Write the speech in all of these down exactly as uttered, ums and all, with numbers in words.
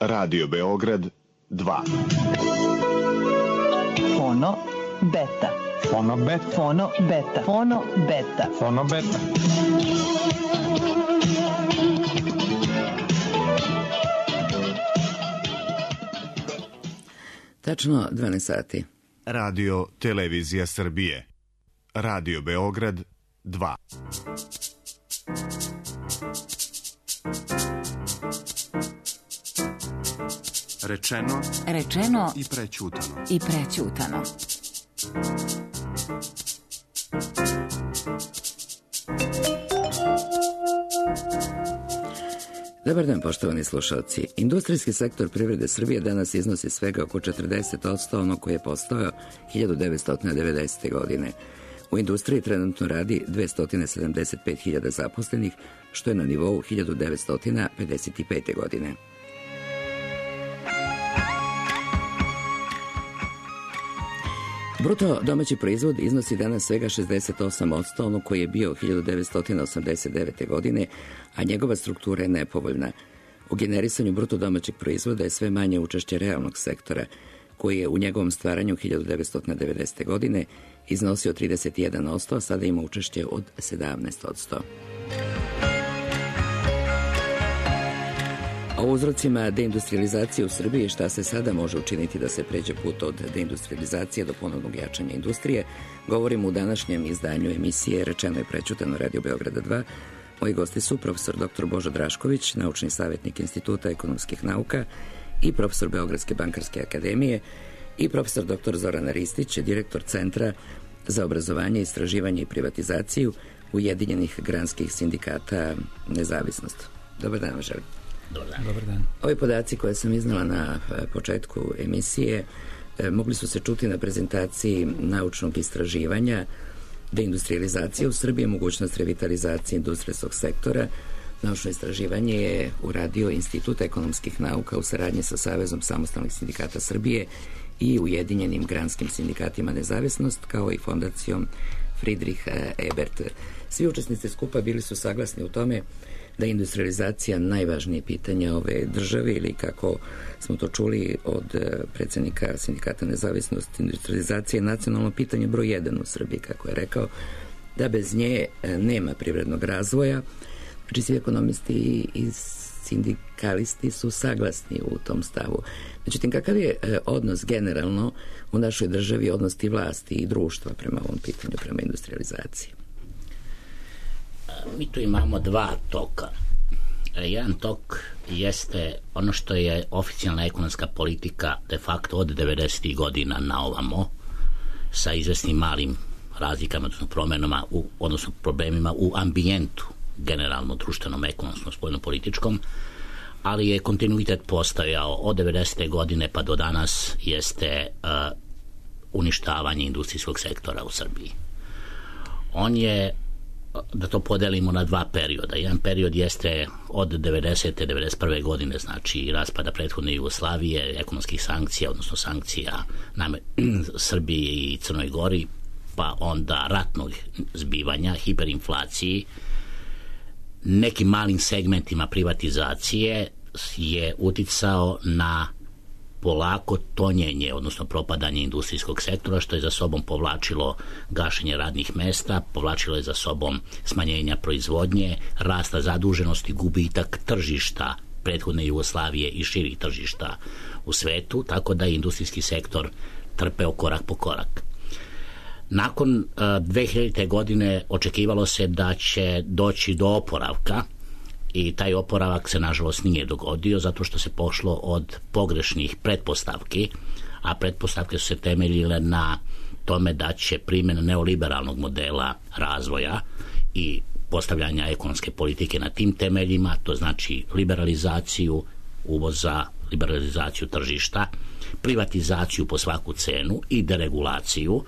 Radio Beograd dva. Fono beta. Fono beta. Fono beta. Fono beta. Fono beta. Tačno dvanaest sati. Radio Televizija Srbije. Radio Beograd dva. Rečeno, Rečeno i prećutano. i prećutano. Dobar dan, poštovani slušalci. Industrijski sektor privrede Srbije danas iznosi svega oko četrdeset posto ono koje je postojao hiljadu devetsto devedesete. godine. U industriji trenutno radi dvesta sedamdeset pet hiljada zaposlenih, što je na nivou hiljadu devetsto pedeset pete. godine. Bruto domaći proizvod iznosi danas svega šezdeset osam posto ono koji je bio hiljadu devetsto osamdeset devete. godine, a njegova struktura je nepovoljna. U generisanju bruto domaćeg proizvoda je sve manje učešće realnog sektora, koji je u njegovom stvaranju hiljadu devetsto devedesete. godine iznosio trideset jedan posto, a sada ima učešće od sedamnaest posto. O uzrocima deindustrializacije u Srbiji, šta se sada može učiniti da se pređe put od deindustrializacije do ponovnog jačanja industrije, govorimo u današnjem izdanju emisije Rečeno i prećutano Radio Beograda dva. Moji gosti su profesor doktor Božo Drašković, naučni savjetnik Instituta ekonomskih nauka i profesor Beogradske bankarske akademije, i profesor doktor Zoran Ristić, direktor Centra za obrazovanje, istraživanje i privatizaciju Ujedinjenih granskih sindikata Nezavisnost. Dobar dan vam želim. Dobar dan. Dobar dan. Ovi podaci koje sam iznala na početku emisije mogli su se čuti na prezentaciji naučnog istraživanja deindustrializacije u Srbiji, mogućnost revitalizacije industrijskog sektora. Naučno istraživanje je uradio Institut ekonomskih nauka u saradnji sa Savezom samostalnih sindikata Srbije i Ujedinjenim granskim sindikatima Nezavisnost, kao i fondacijom Friedrich Ebert. Svi učesnici skupa bili su saglasni u tome da je industrializacija najvažnije pitanje ove države, ili kako smo to čuli od predsjednika Sindikata Nezavisnost, industrializacija je nacionalno pitanje broj jedan u Srbiji, kako je rekao, da bez nje nema privrednog razvoja. Znači, svi ekonomisti i sindikalisti su saglasni u tom stavu. Međutim, kakav je odnos generalno u našoj državi, odnos i vlasti i društva prema ovom pitanju, prema industrializaciji? Mi tu imamo dva toka. Jedan tok jeste ono što je oficijalna ekonomska politika de facto od devedesetih godina na ovamo, sa izvesnim malim razlikama, odnosno promenama, u, odnosno problemima u ambijentu, generalno društvenom, ekonomskom, spoljno-političkom, ali je kontinuitet postojao od devedesete. godine pa do danas, jeste uh, uništavanje industrijskog sektora u Srbiji. On je, da to podelimo na dva perioda. Jedan period jeste od devedesete. do devedeset prve. godine, znači raspada prethodne Jugoslavije, ekonomskih sankcija, odnosno sankcija na Srbiji i Crnoj Gori, pa onda ratnog zbivanja, hiperinflaciji, nekim malim segmentima privatizacije je uticao na polako tonjenje, odnosno propadanje industrijskog sektora, što je za sobom povlačilo gašenje radnih mesta, povlačilo je za sobom smanjenja proizvodnje, rasta zaduženosti, gubitak tržišta prethodne Jugoslavije i širih tržišta u svetu, tako da je industrijski sektor trpeo korak po korak. Nakon uh, dve hiljadite. godine očekivalo se da će doći do oporavka, i taj oporavak se nažalost nije dogodio, zato što se pošlo od pogrešnih pretpostavki, a pretpostavke su se temeljile na tome da će primjena neoliberalnog modela razvoja i postavljanja ekonomske politike na tim temeljima, to znači liberalizaciju uvoza, liberalizaciju tržišta, privatizaciju po svaku cenu i deregulaciju,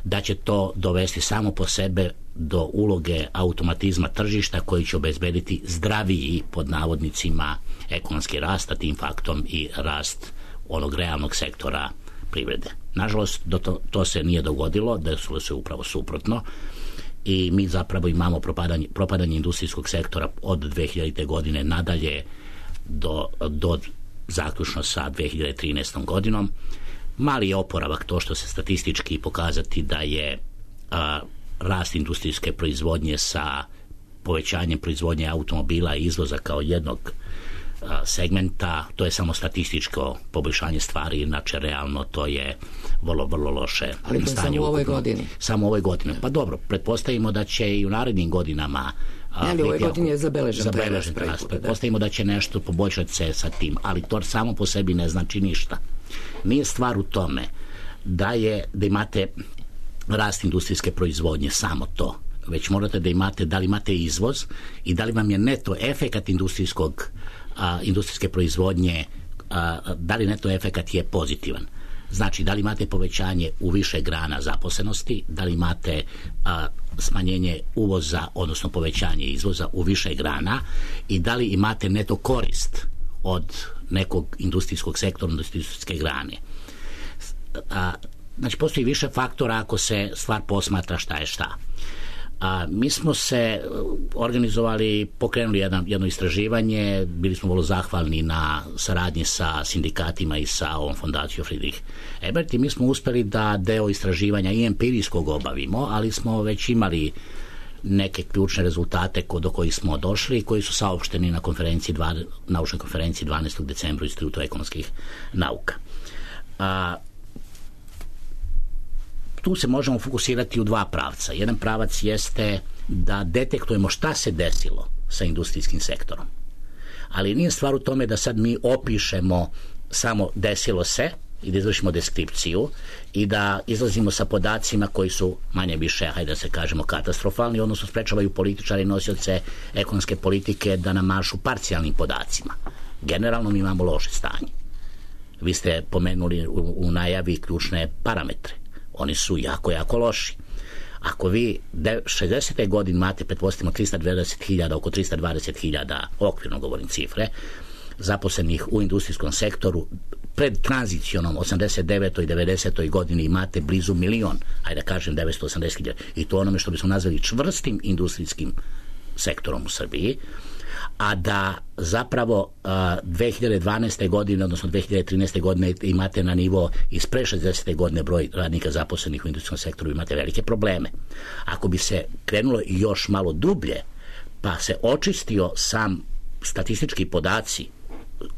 da će to dovesti samo po sebe do uloge automatizma tržišta koji će obezbediti zdraviji, pod navodnicima, ekonomski rast, a tim faktom i rast onog realnog sektora privrede. Nažalost, do to, to se nije dogodilo, desilo se upravo suprotno, i mi zapravo imamo propadanje, propadanje industrijskog sektora od dve hiljadite. godine nadalje do, do zaključno sa dve hiljade trinaestom godinom. Mali je oporavak, to što se statistički pokazati da je a, rast industrijske proizvodnje sa povećanjem proizvodnje automobila i izvoza kao jednog a, segmenta, to je samo statističko poboljšanje stvari, inače realno to je vrlo, vrlo loše. Ali to je samo u ovoj godini. Samo u ovoj godini. Pa dobro, pretpostavimo da će i u narednim godinama Ne, ali u ovoj godini je zabeležen, zabeležen rast. Pretpostavimo da će nešto poboljšati se sa tim, ali to samo po sebi ne znači ništa. Nije stvar u tome da je da imate rast industrijske proizvodnje, samo to, već morate da imate, da li imate izvoz i da li vam je neto efekat industrijskog a, industrijske proizvodnje, a, da li neto efekat je pozitivan. Znači, da li imate povećanje u više grana zaposlenosti, da li imate a, smanjenje uvoza, odnosno povećanje izvoza u više grana i da li imate neto korist od nekog industrijskog sektora, industrijske grane. A, znači, postoji više faktora ako se stvar posmatra šta je šta. A, mi smo se organizovali, pokrenuli jedan, jedno istraživanje, bili smo vrlo zahvalni na saradnji sa sindikatima i sa ovom fondacijom Friedrich Ebert i mi smo uspeli da deo istraživanja i empirijskog obavimo, ali smo već imali neke ključne rezultate do kojih smo došli, koji su saopšteni na konferenciji, naučnoj konferenciji dvanaestog decembra u Institutu ekonomskih nauka. A, tu se možemo fokusirati u dva pravca. Jedan pravac jeste da detektujemo šta se desilo sa industrijskim sektorom. Ali nije stvar u tome da sad mi opišemo samo desilo se i da izvršimo deskripciju i da izlazimo sa podacima koji su manje više, hajde da se kažemo, katastrofalni, odnosno sprečavaju političari i nosioce ekonomske politike da namašu parcijalnim podacima. Generalno mi imamo loše stanje. Vi ste pomenuli u, u najavi ključne parametre. Oni su jako, jako loši. Ako vi šezdesete godine imate, pretpostavimo, trista dvadeset hiljada, oko trista dvadeset hiljada, okvirno govorim cifre, zaposlenih u industrijskom sektoru, pred tranzicionom osamdeset devetoj i devedesetoj godini imate blizu milion, ajde da kažem devetsto osamdeset hiljada, i to onome što bismo nazvali čvrstim industrijskim sektorom u Srbiji, a da zapravo a, dve hiljade dvanaeste godine, odnosno dve hiljade trinaeste godine imate na nivo iz pre šezdesete godine broj radnika zaposlenih u industrijskom sektoru, imate velike probleme. Ako bi se krenulo još malo dublje, pa se očistio sam statistički podaci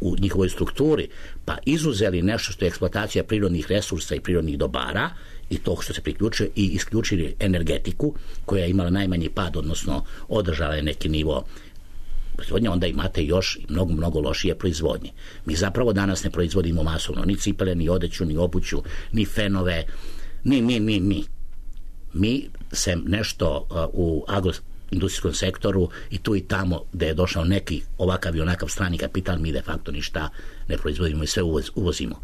u njihovoj strukturi, pa izuzeli nešto što je eksploatacija prirodnih resursa i prirodnih dobara i to što se priključuje i isključili energetiku koja je imala najmanji pad, odnosno održala je neki nivo proizvodnje, onda imate još mnogo, mnogo lošije proizvodnje. Mi zapravo danas ne proizvodimo masovno ni cipele, ni odeću, ni obuću, ni fenove, ni mi, mi, mi. Mi se nešto uh, u agroindustrijskom sektoru i tu i tamo gde je došao neki ovakav i onakav strani kapital, mi de facto ništa ne proizvodimo i sve uvoz, uvozimo.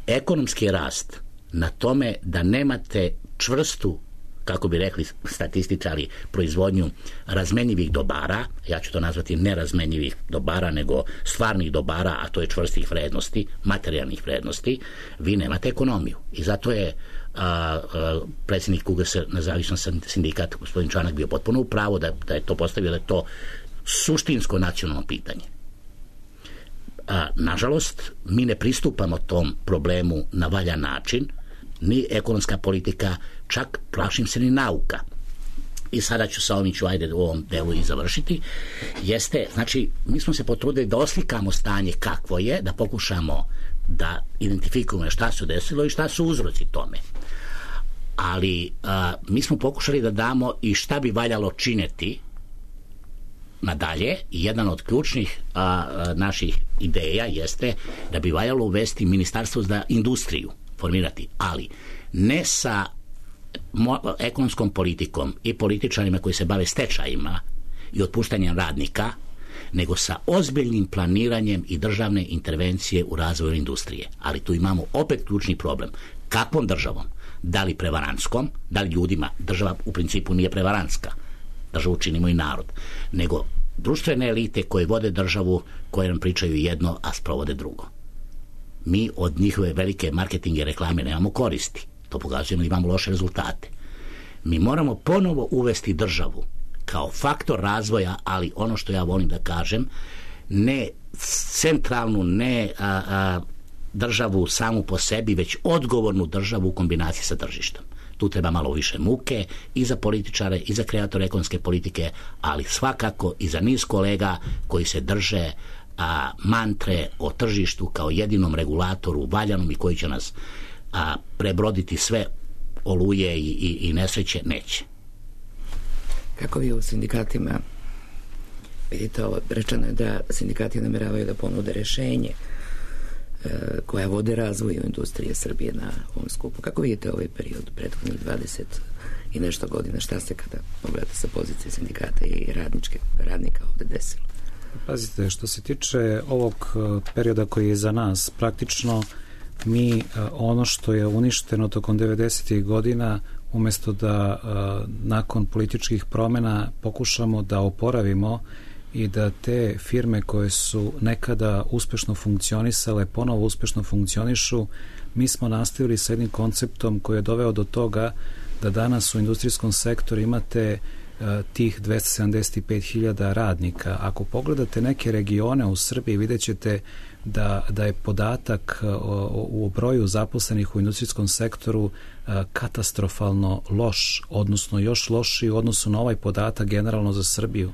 Ekonomski rast na tome da nemate čvrstu, kako bi rekli statističari, proizvodnju razmenjivih dobara, ja ću to nazvati nerazmenjivih dobara, nego stvarnih dobara, a to je čvrstih vrednosti, materijalnih vrednosti, vi nemate ekonomiju. I zato je a, a, predsjednik U G S, nezavisno sindikat, gospodin Čanak, bio potpuno u pravu da, da je to postavio, da je to suštinsko nacionalno pitanje. A, nažalost, mi ne pristupamo tom problemu na valjan način, ni ekonomska politika, čak plašim se ni nauka. I sada ću sa ovim ću ajde u ovom delu i završiti. Jeste, znači, mi smo se potrudili da oslikamo stanje kakvo je, da pokušamo da identifikujemo šta se desilo i šta su uzroci tome. Ali a, mi smo pokušali da damo i šta bi valjalo činiti nadalje. I jedan od ključnih a, a, naših ideja jeste da bi valjalo uvesti ministarstvo za industriju, formirati, ali ne sa mo- ekonomskom politikom i političarima koji se bave stečajima i otpuštanjem radnika, nego sa ozbiljnim planiranjem i državne intervencije u razvoju industrije. Ali tu imamo opet ključni problem. Kakvom državom? Da li prevarantskom? Da li ljudima? Država u principu nije prevarantska. Državu činimo i narod. Nego društvene elite koje vode državu, koje nam pričaju jedno, a sprovode drugo. Mi od njihove velike marketinge reklame nemamo koristi. To pokazujemo da imamo loše rezultate. Mi moramo ponovo uvesti državu kao faktor razvoja, ali ono što ja volim da kažem, ne centralnu, ne a, a, državu samu po sebi, već odgovornu državu u kombinaciji sa tržištem. Tu treba malo više muke i za političare i za kreatore ekonomske politike, ali svakako i za niz kolega koji se drže a, mantre o tržištu kao jedinom regulatoru valjanom i koji će nas a, prebroditi sve oluje i, i, i nesreće, neće. Kako vi u sindikatima vidite ovo? Rečeno je da sindikati nameravaju da ponude rešenje koja vode razvoju industrije Srbije na ovom skupu. Kako vidite ovaj period prethodnih dvadeset i nešto godina? Šta se kada pogledate sa pozicije sindikata i radničke, radnika ovde desilo? Pazite, što se tiče ovog perioda koji je za nas, praktično mi ono što je uništeno tokom devedesetih godina, umesto da nakon političkih promjena pokušamo da oporavimo i da te firme koje su nekada uspešno funkcionisale ponovo uspešno funkcionišu, mi smo nastavili sa jednim konceptom koji je doveo do toga da danas u industrijskom sektoru imate uh, tih dvesta sedamdeset pet hiljada radnika. Ako pogledate neke regione u Srbiji, vidjet ćete da, da je podatak uh, u broju zaposlenih u industrijskom sektoru uh, katastrofalno loš, odnosno još lošiji u odnosu na ovaj podatak generalno za Srbiju.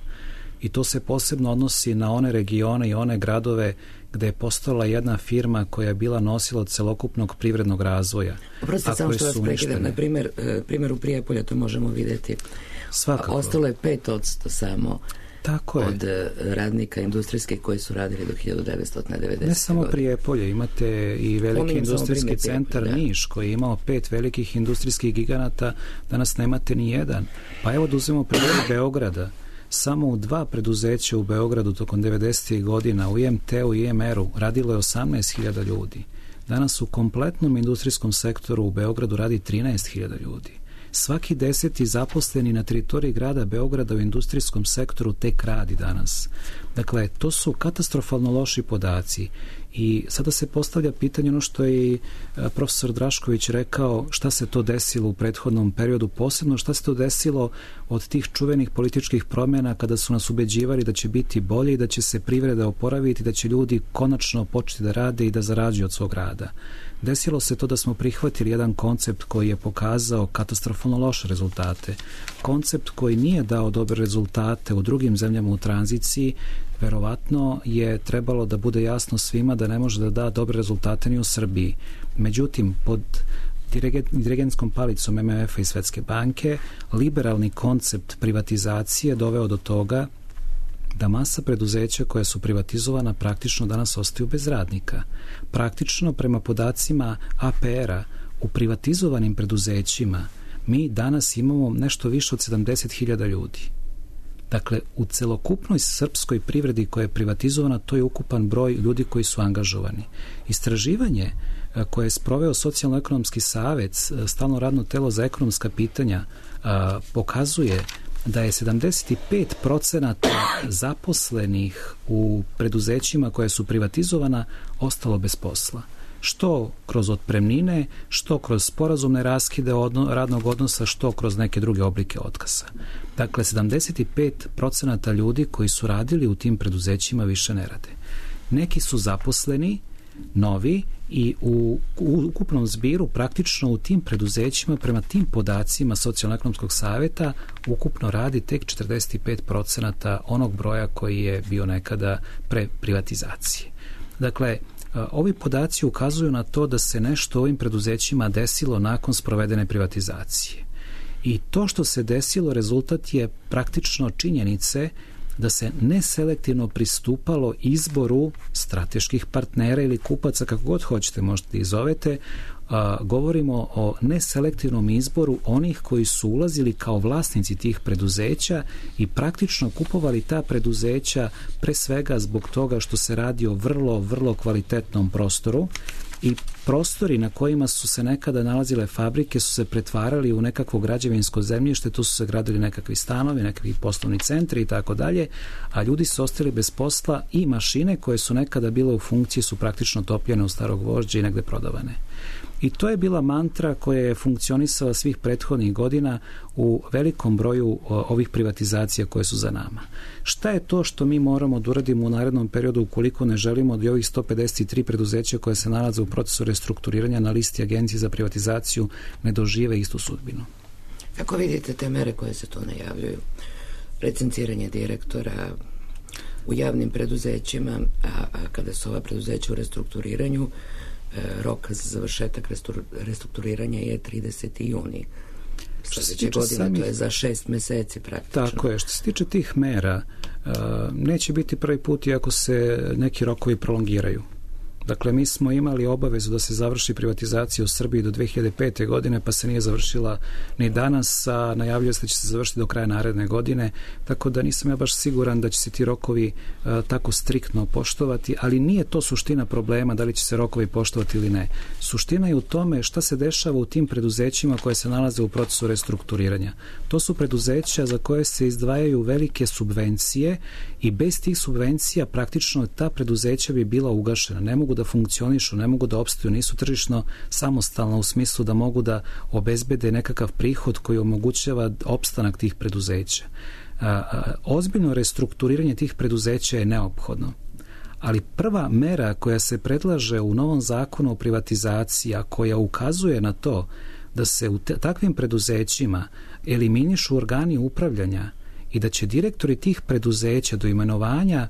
I to se posebno odnosi na one regione i one gradove gde je postojala jedna firma koja je bila nosilac celokupnog privrednog razvoja. Oprostite, samo što vas prekidam. Na primjer, primjer u Prijepolju to možemo vidjeti. Svakako. Ostalo je pet odsto samo Tako je. od radnika industrijskih koji su radili do hiljadu devetsto devedeset. Ne samo Prijepolje, imate i veliki Pominjem industrijski centar Prijepolje, Niš koji je imao pet velikih industrijskih giganata, danas nemate ni jedan. Pa evo da uzmemo primjer Beograda. Samo u dva preduzeća u Beogradu tokom devedesetih godina u I M T-u i I M R-u radilo je osamnaest hiljada ljudi. Danas u kompletnom industrijskom sektoru u Beogradu radi trinaest hiljada ljudi. Svaki deseti zaposleni na teritoriji grada Beograda u industrijskom sektoru tek radi danas. Dakle, to su katastrofalno loši podaci i sada se postavlja pitanje ono što je i profesor Drašković rekao, šta se to desilo u prethodnom periodu, posebno šta se to desilo od tih čuvenih političkih promjena kada su nas ubeđivali da će biti bolje i da će se privreda oporaviti, da će ljudi konačno početi da rade i da zarađuju od svog rada. Desilo se to da smo prihvatili jedan koncept koji je pokazao katastrofalno loše rezultate. Koncept koji nije dao dobre rezultate u drugim zemljama u tranziciji, verovatno je trebalo da bude jasno svima da ne može da da dobre rezultate ni u Srbiji. Međutim, pod dirigentskom palicom M M F-a i Svetske banke, liberalni koncept privatizacije doveo do toga da masa preduzeća koja su privatizovana praktično danas ostaju bez radnika. Praktično, prema podacima A P R-a, u privatizovanim preduzećima mi danas imamo nešto više od sedamdeset hiljada ljudi. Dakle, u celokupnoj srpskoj privredi koja je privatizovana, to je ukupan broj ljudi koji su angažovani. Istraživanje koje je sproveo Socijalno-ekonomski savet, stalno radno telo za ekonomska pitanja, pokazuje da je sedamdeset pet procenata zaposlenih u preduzećima koje su privatizovana ostalo bez posla. Što kroz otpremnine, što kroz sporazumne raskide odno, radnog odnosa, što kroz neke druge oblike otkaza. Dakle, sedamdeset pet procenata ljudi koji su radili u tim preduzećima više ne rade. Neki su zaposleni, novi, i u, u ukupnom zbiru praktično u tim preduzećima prema tim podacima Socijalno-ekonomskog saveta ukupno radi tek četrdeset pet procenata onog broja koji je bio nekada pre privatizacije. Dakle, ovi podaci ukazuju na to da se nešto ovim preduzećima desilo nakon sprovedene privatizacije. I to što se desilo rezultat je praktično činjenice da se neselektivno pristupalo izboru strateških partnera ili kupaca, kako god hoćete, možete ih zovete. A, govorimo o neselektivnom izboru onih koji su ulazili kao vlasnici tih preduzeća i praktično kupovali ta preduzeća pre svega zbog toga što se radi o vrlo, vrlo kvalitetnom prostoru i prostori na kojima su se nekada nalazile fabrike su se pretvarali u nekakvo građevinsko zemljište, tu su se gradili nekakvi stanovi, nekakvi poslovni centri i tako dalje, a ljudi su ostali bez posla i mašine koje su nekada bile u funkciji su praktično topljene u starog gvožđa i negde prodavane. I to je bila mantra koja je funkcionisala svih prethodnih godina u velikom broju ovih privatizacija koje su za nama. Šta je to što mi moramo da uradimo u narednom periodu ukoliko ne želimo da ovih sto pedeset tri preduzeća koje se nalaze u procesu restrukturiranja na listi Agencije za privatizaciju ne dožive istu sudbinu? Kako vidite te mere koje se to najavljuju? Licenciranje direktora u javnim preduzećima, a, a kada su ova preduzeća u restrukturiranju, rok za završetak restrukturiranja je trideseti juni sljedeće godine, samih... to je za šest meseci praktično. Tako je, što se tiče tih mera, neće biti prvi put iako se neki rokovi prolongiraju. Dakle, mi smo imali obavezu da se završi privatizacija u Srbiji do dve hiljade pete. godine, pa se nije završila ni danas, a najavljuje se da će se završiti do kraja naredne godine, tako da nisam ja baš siguran da će se ti rokovi a, tako striktno poštovati, ali nije to suština problema da li će se rokovi poštovati ili ne. Suština je u tome šta se dešava u tim preduzećima koje se nalaze u procesu restrukturiranja. To su preduzeća za koje se izdvajaju velike subvencije i bez tih subvencija praktično ta preduzeća bi bila ugašena. Ne mogu da funkcionišu, ne mogu da opstaju, nisu tržišno samostalno u smislu da mogu da obezbede nekakav prihod koji omogućava opstanak tih preduzeća. A, a, ozbiljno restrukturiranje tih preduzeća je neophodno. Ali prva mera koja se predlaže u novom zakonu o privatizaciji, a koja ukazuje na to da se u te, takvim preduzećima eliminišu organi upravljanja i da će direktori tih preduzeća do imenovanja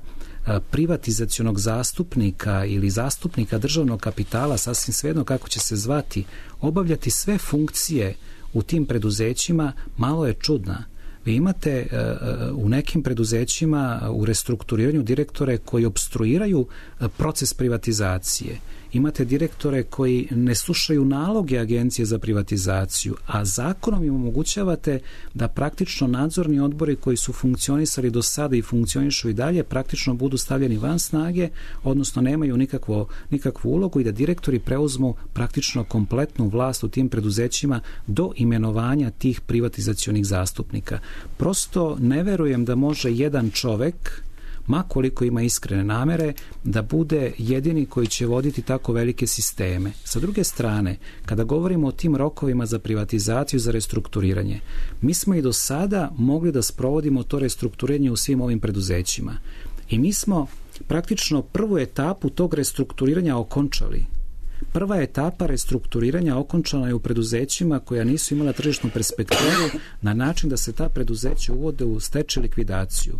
privatizacionog zastupnika ili zastupnika državnog kapitala, sasvim svejedno kako će se zvati, obavljati sve funkcije u tim preduzećima, malo je čudna. Vi imate uh, u nekim preduzećima u restrukturiranju direktore koji opstruiraju uh, proces privatizacije. Imate direktore koji ne slušaju naloge Agencije za privatizaciju, a zakonom im omogućavate da praktično nadzorni odbori koji su funkcionisali do sada i funkcionišu i dalje praktično budu stavljeni van snage, odnosno nemaju nikakvo, nikakvu ulogu i da direktori preuzmu praktično kompletnu vlast u tim preduzećima do imenovanja tih privatizacionih zastupnika. Prosto ne verujem da može jedan čovek, ma koliko ima iskrene namere, da bude jedini koji će voditi tako velike sisteme. Sa druge strane, kada govorimo o tim rokovima za privatizaciju, za restrukturiranje, mi smo i do sada mogli da sprovodimo to restrukturiranje u svim ovim preduzećima. I mi smo praktično prvu etapu tog restrukturiranja okončali. Prva etapa restrukturiranja okončana je u preduzećima koja nisu imala tržišnu perspektivu na način da se ta preduzeća uvode u stečaj likvidaciju.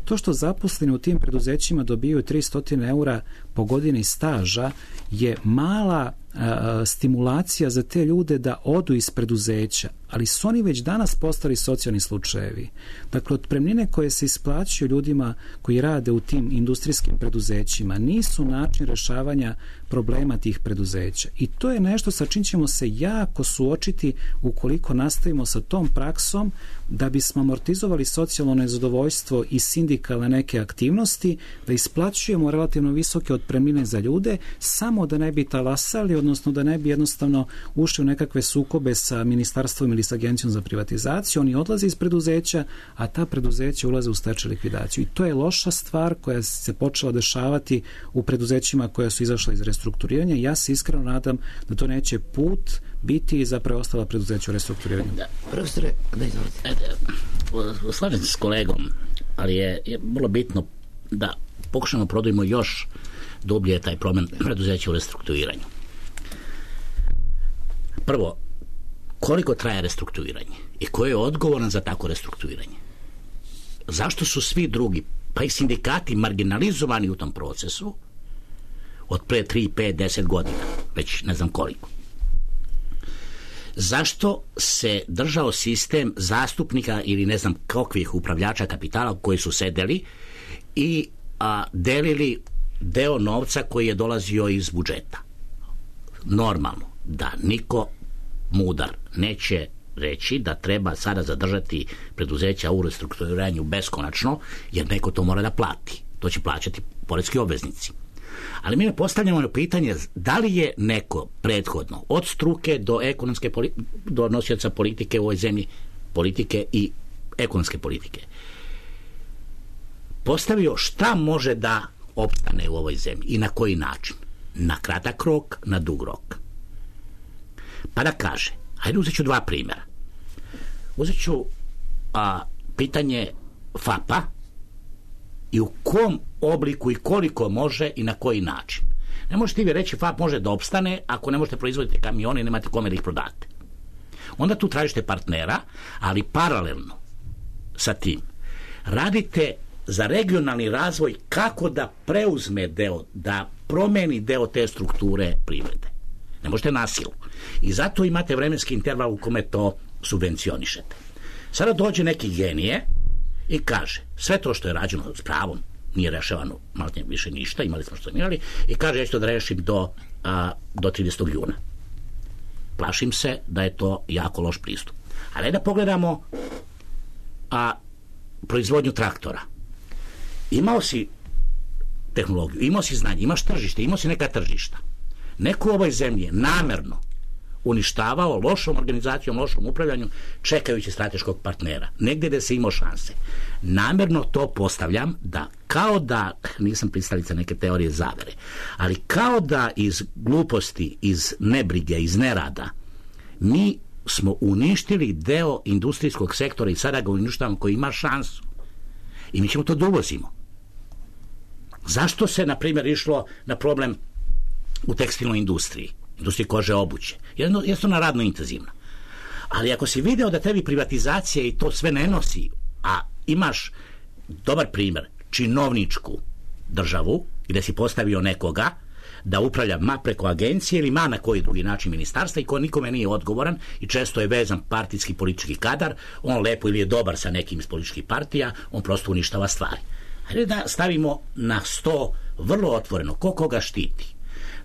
To što zaposleni u tim preduzećima dobiju tristo eura po godini staža je mala a, stimulacija za te ljude da odu iz preduzeća, ali su oni već danas postali socijalni slučajevi. Dakle, otpremnine koje se isplaćuju ljudima koji rade u tim industrijskim preduzećima nisu način rešavanja problema tih preduzeća. I to je nešto sa čim ćemo se jako suočiti ukoliko nastavimo sa tom praksom da bismo amortizovali socijalno nezadovoljstvo i sindikalne neke aktivnosti, da isplaćujemo relativno visoke otpremnine za ljude, samo da ne bi talasali, odnosno da ne bi jednostavno ušli u nekakve sukobe sa ministarstvom ili sa Agencijom za privatizaciju. Oni odlaze iz preduzeća, a ta preduzeća ulaze u stečaj likvidaciju. I to je loša stvar koja se počela dešavati u preduzećima koja su izašla iz restrukturiranja. Ja se iskreno nadam da to neće put biti za preostala preduzeća u restrukturiranju. Da, profesore, da izvolite. Slažem se s kolegom, ali je, je vrlo bitno da pokušamo prodajemo još dublje taj problem preduzeća u restrukturiranju. Prvo, koliko traje restrukturiranje i ko je odgovoran za tako restrukturiranje? Zašto su svi drugi, pa i sindikati, marginalizovani u tom procesu od pre tri, pet, deset godina, već ne znam koliko? Zašto se držao sistem zastupnika ili ne znam kakvih upravljača kapitala koji su sedeli i a, delili deo novca koji je dolazio iz budžeta? Normalno da niko mudar neće reći da treba sada zadržati preduzeća u restrukturiranju beskonačno, jer neko to mora da plati. To će plaćati poreski obveznici. Ali mi ne postavljamo pitanje da li je neko prethodno od struke do ekonomske politike, do nosioca politike u ovoj zemlji, politike i ekonomske politike, postavio šta može da opstane u ovoj zemlji i na koji način. Na kratak rok, na dug rok. Pa da kaže, hajde uzet ću dva primjera. Uzet ću a, pitanje F A P-a i u kom obliku i koliko može i na koji način. Ne možete vi reći F A P može da opstane ako ne možete proizvoditi kamione i nemate kome da ih prodate. Onda tu tražite partnera, ali paralelno sa tim radite za regionalni razvoj kako da preuzme deo, da promeni deo te strukture privrede. Ne možete na silu. I zato imate vremenski interval u kome to subvencionišete. Sada dođe neki genije i kaže, sve to što je rađeno s pravom, nije rešavano malo više ništa, imali smo što imali, i kaže, ja ću to da rešim do, a, do tridesetog juna. Plašim se da je to jako loš pristup. Ali da pogledamo a, proizvodnju traktora. Imao si tehnologiju, imao si znanje, imaš tržište, imao si neka tržišta. Neko u ovoj zemlji je namerno uništavao lošom organizacijom, lošom upravljanju, čekajući strateškog partnera. Negde gde se imao šanse. Namerno to postavljam da kao da, nisam pristalica neke teorije zavere, ali kao da iz gluposti, iz nebrige, iz nerada, mi smo uništili deo industrijskog sektora i sada ga uništavamo koji ima šansu. I mi ćemo to da uvozimo. Zašto se, na primjer, išlo na problem u tekstilnoj industriji, industriji kože obuće? Jedno, jednostavno radno intenzivna. Ali ako si video da tebi privatizacija i to sve ne nosi, a imaš dobar primjer, činovničku državu, gde si postavio nekoga da upravlja ma preko agencije ili ma na koji drugi način ministarstva i ko nikome nije odgovoran i često je vezan partijski politički kadar, on lepo ili je dobar sa nekim iz političkih partija, on prosto uništava stvari. Hajde da stavimo na sto vrlo otvoreno ko koga štiti.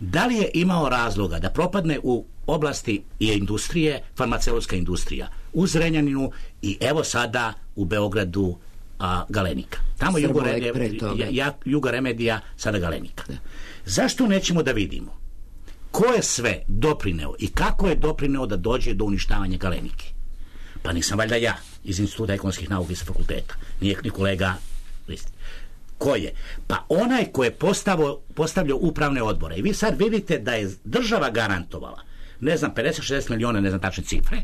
Da li je imao razloga da propadne u oblasti i industrije, farmaceutska industrija, u Zrenjaninu i evo sada u Beogradu a, Galenika. Tamo Juga Remedija, sada Galenika. Da. Zašto nećemo da vidimo ko je sve doprineo i kako je doprineo da dođe do uništavanja Galenike? Pa nisam valjda ja iz Instituta ekonomskih nauka i sa fakulteta. Nije ni kolega Listi. Ko je? Pa onaj ko je postavio, postavljao upravne odbore. I vi sad vidite da je država garantovala, ne znam, pedeset šezdeset miliona, ne znam tačne cifre,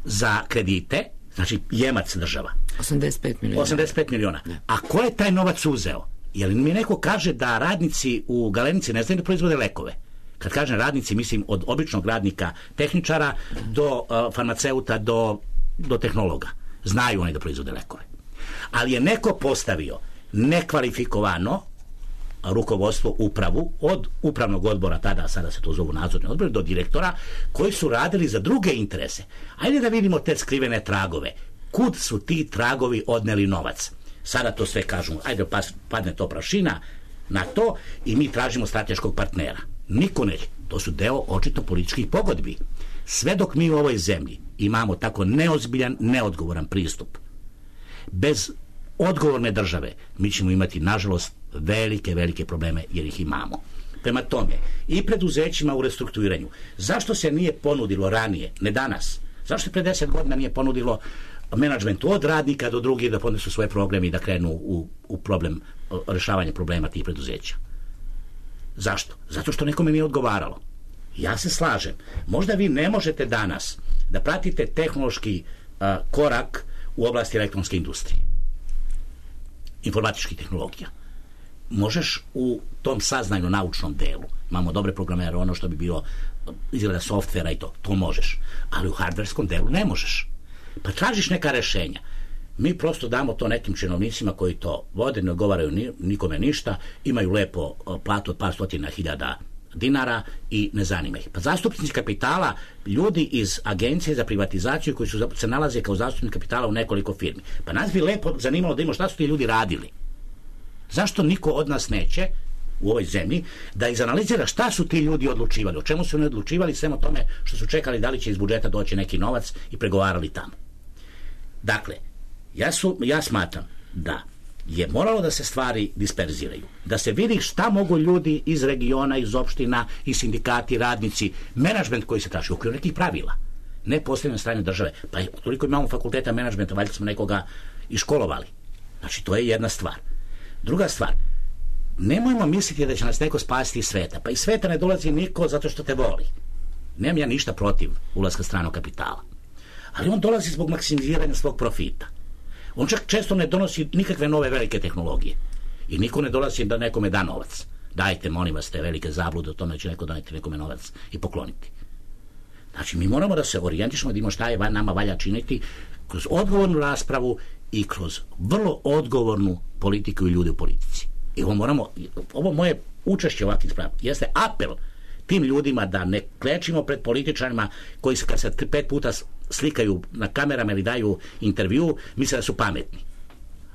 za kredite, znači jemac država. osamdeset pet miliona. osamdeset pet miliona. Ne. A ko je taj novac uzeo? Jer mi neko kaže da radnici u Galenici ne znaju da proizvode lekove. Kad kažem radnici, mislim od običnog radnika, tehničara, do uh, farmaceuta, do, do tehnologa. Znaju oni da proizvode lekove. Ali je neko postavio nekvalifikovano rukovodstvo, upravu, od upravnog odbora tada, sada se to zovu nadzorni odbor, do direktora, koji su radili za druge interese. Ajde da vidimo te skrivene tragove. Kud su ti tragovi odneli novac? Sada to sve kažu, ajde padne to prašina na to i mi tražimo strateškog partnera. Niko neće. To su deo očito političkih pogodbi. Sve dok mi u ovoj zemlji imamo tako neozbiljan, neodgovoran pristup, bez odgovorne države, mi ćemo imati, nažalost, velike, velike probleme, jer ih imamo. Prema tome, i preduzećima u restrukturiranju, zašto se nije ponudilo ranije, ne danas, zašto se pre deset godina nije ponudilo menadžmentu od radnika do drugih da podnesu svoje programe i da krenu u, u problem, rešavanje problema tih preduzeća? Zašto? Zato što nekome nije odgovaralo. Ja se slažem. Možda vi ne možete danas da pratite tehnološki a, korak u oblasti elektronske industrije, informatičkih tehnologija. Možeš u tom saznajno naučnom delu, imamo dobre programere, ono što bi bilo izgleda softvera i to, to možeš. Ali u hardverskom delu ne možeš. Pa tražiš neka rešenja. Mi prosto damo to nekim činovnicima koji to vode, ne odgovaraju nikome ništa, imaju lepo platu od par stotina hiljada dinara i ne zanima ih. Pa zastupnici kapitala, ljudi iz agencije za privatizaciju koji su se nalaze kao zastupnici kapitala u nekoliko firmi. Pa nas bi lepo zanimalo da imamo šta su ti ljudi radili. Zašto niko od nas neće u ovoj zemlji da izanalizira šta su ti ljudi odlučivali, o čemu su oni odlučivali, sve o tome što su čekali da li će iz budžeta doći neki novac i pregovarali tamo. Dakle, ja, su, ja smatram da je moralo da se stvari disperziraju. Da se vidi šta mogu ljudi iz regiona, iz opština, iz sindikati, radnici, menadžment koji se traži u okviru nekih pravila. Ne postavljeno strane države. Pa toliko imamo fakulteta menadžmenta, valjda smo nekoga iškolovali. Znači, to je jedna stvar. Druga stvar, nemojmo misliti da će nas neko spasiti iz sveta. Pa iz sveta ne dolazi niko zato što te voli. Nemam ja ništa protiv ulaska stranog kapitala. Ali on dolazi zbog maksimiziranja svog profita. On čak često ne donosi nikakve nove velike tehnologije. I niko ne dolazi da nekome da novac. Dajte, molim vas, te velike zablude o tome će neko doneti nekome novac i pokloniti. Znači, mi moramo da se orijentišemo, da imamo šta je nama valja činiti kroz odgovornu raspravu i kroz vrlo odgovornu politiku i ljude u politici. I ovo moramo, ovo moje učešće ovakvih sprava jeste apel tim ljudima da ne klečimo pred političarima koji se kad se pet puta slikaju na kamerama ili daju intervju, misle da su pametni.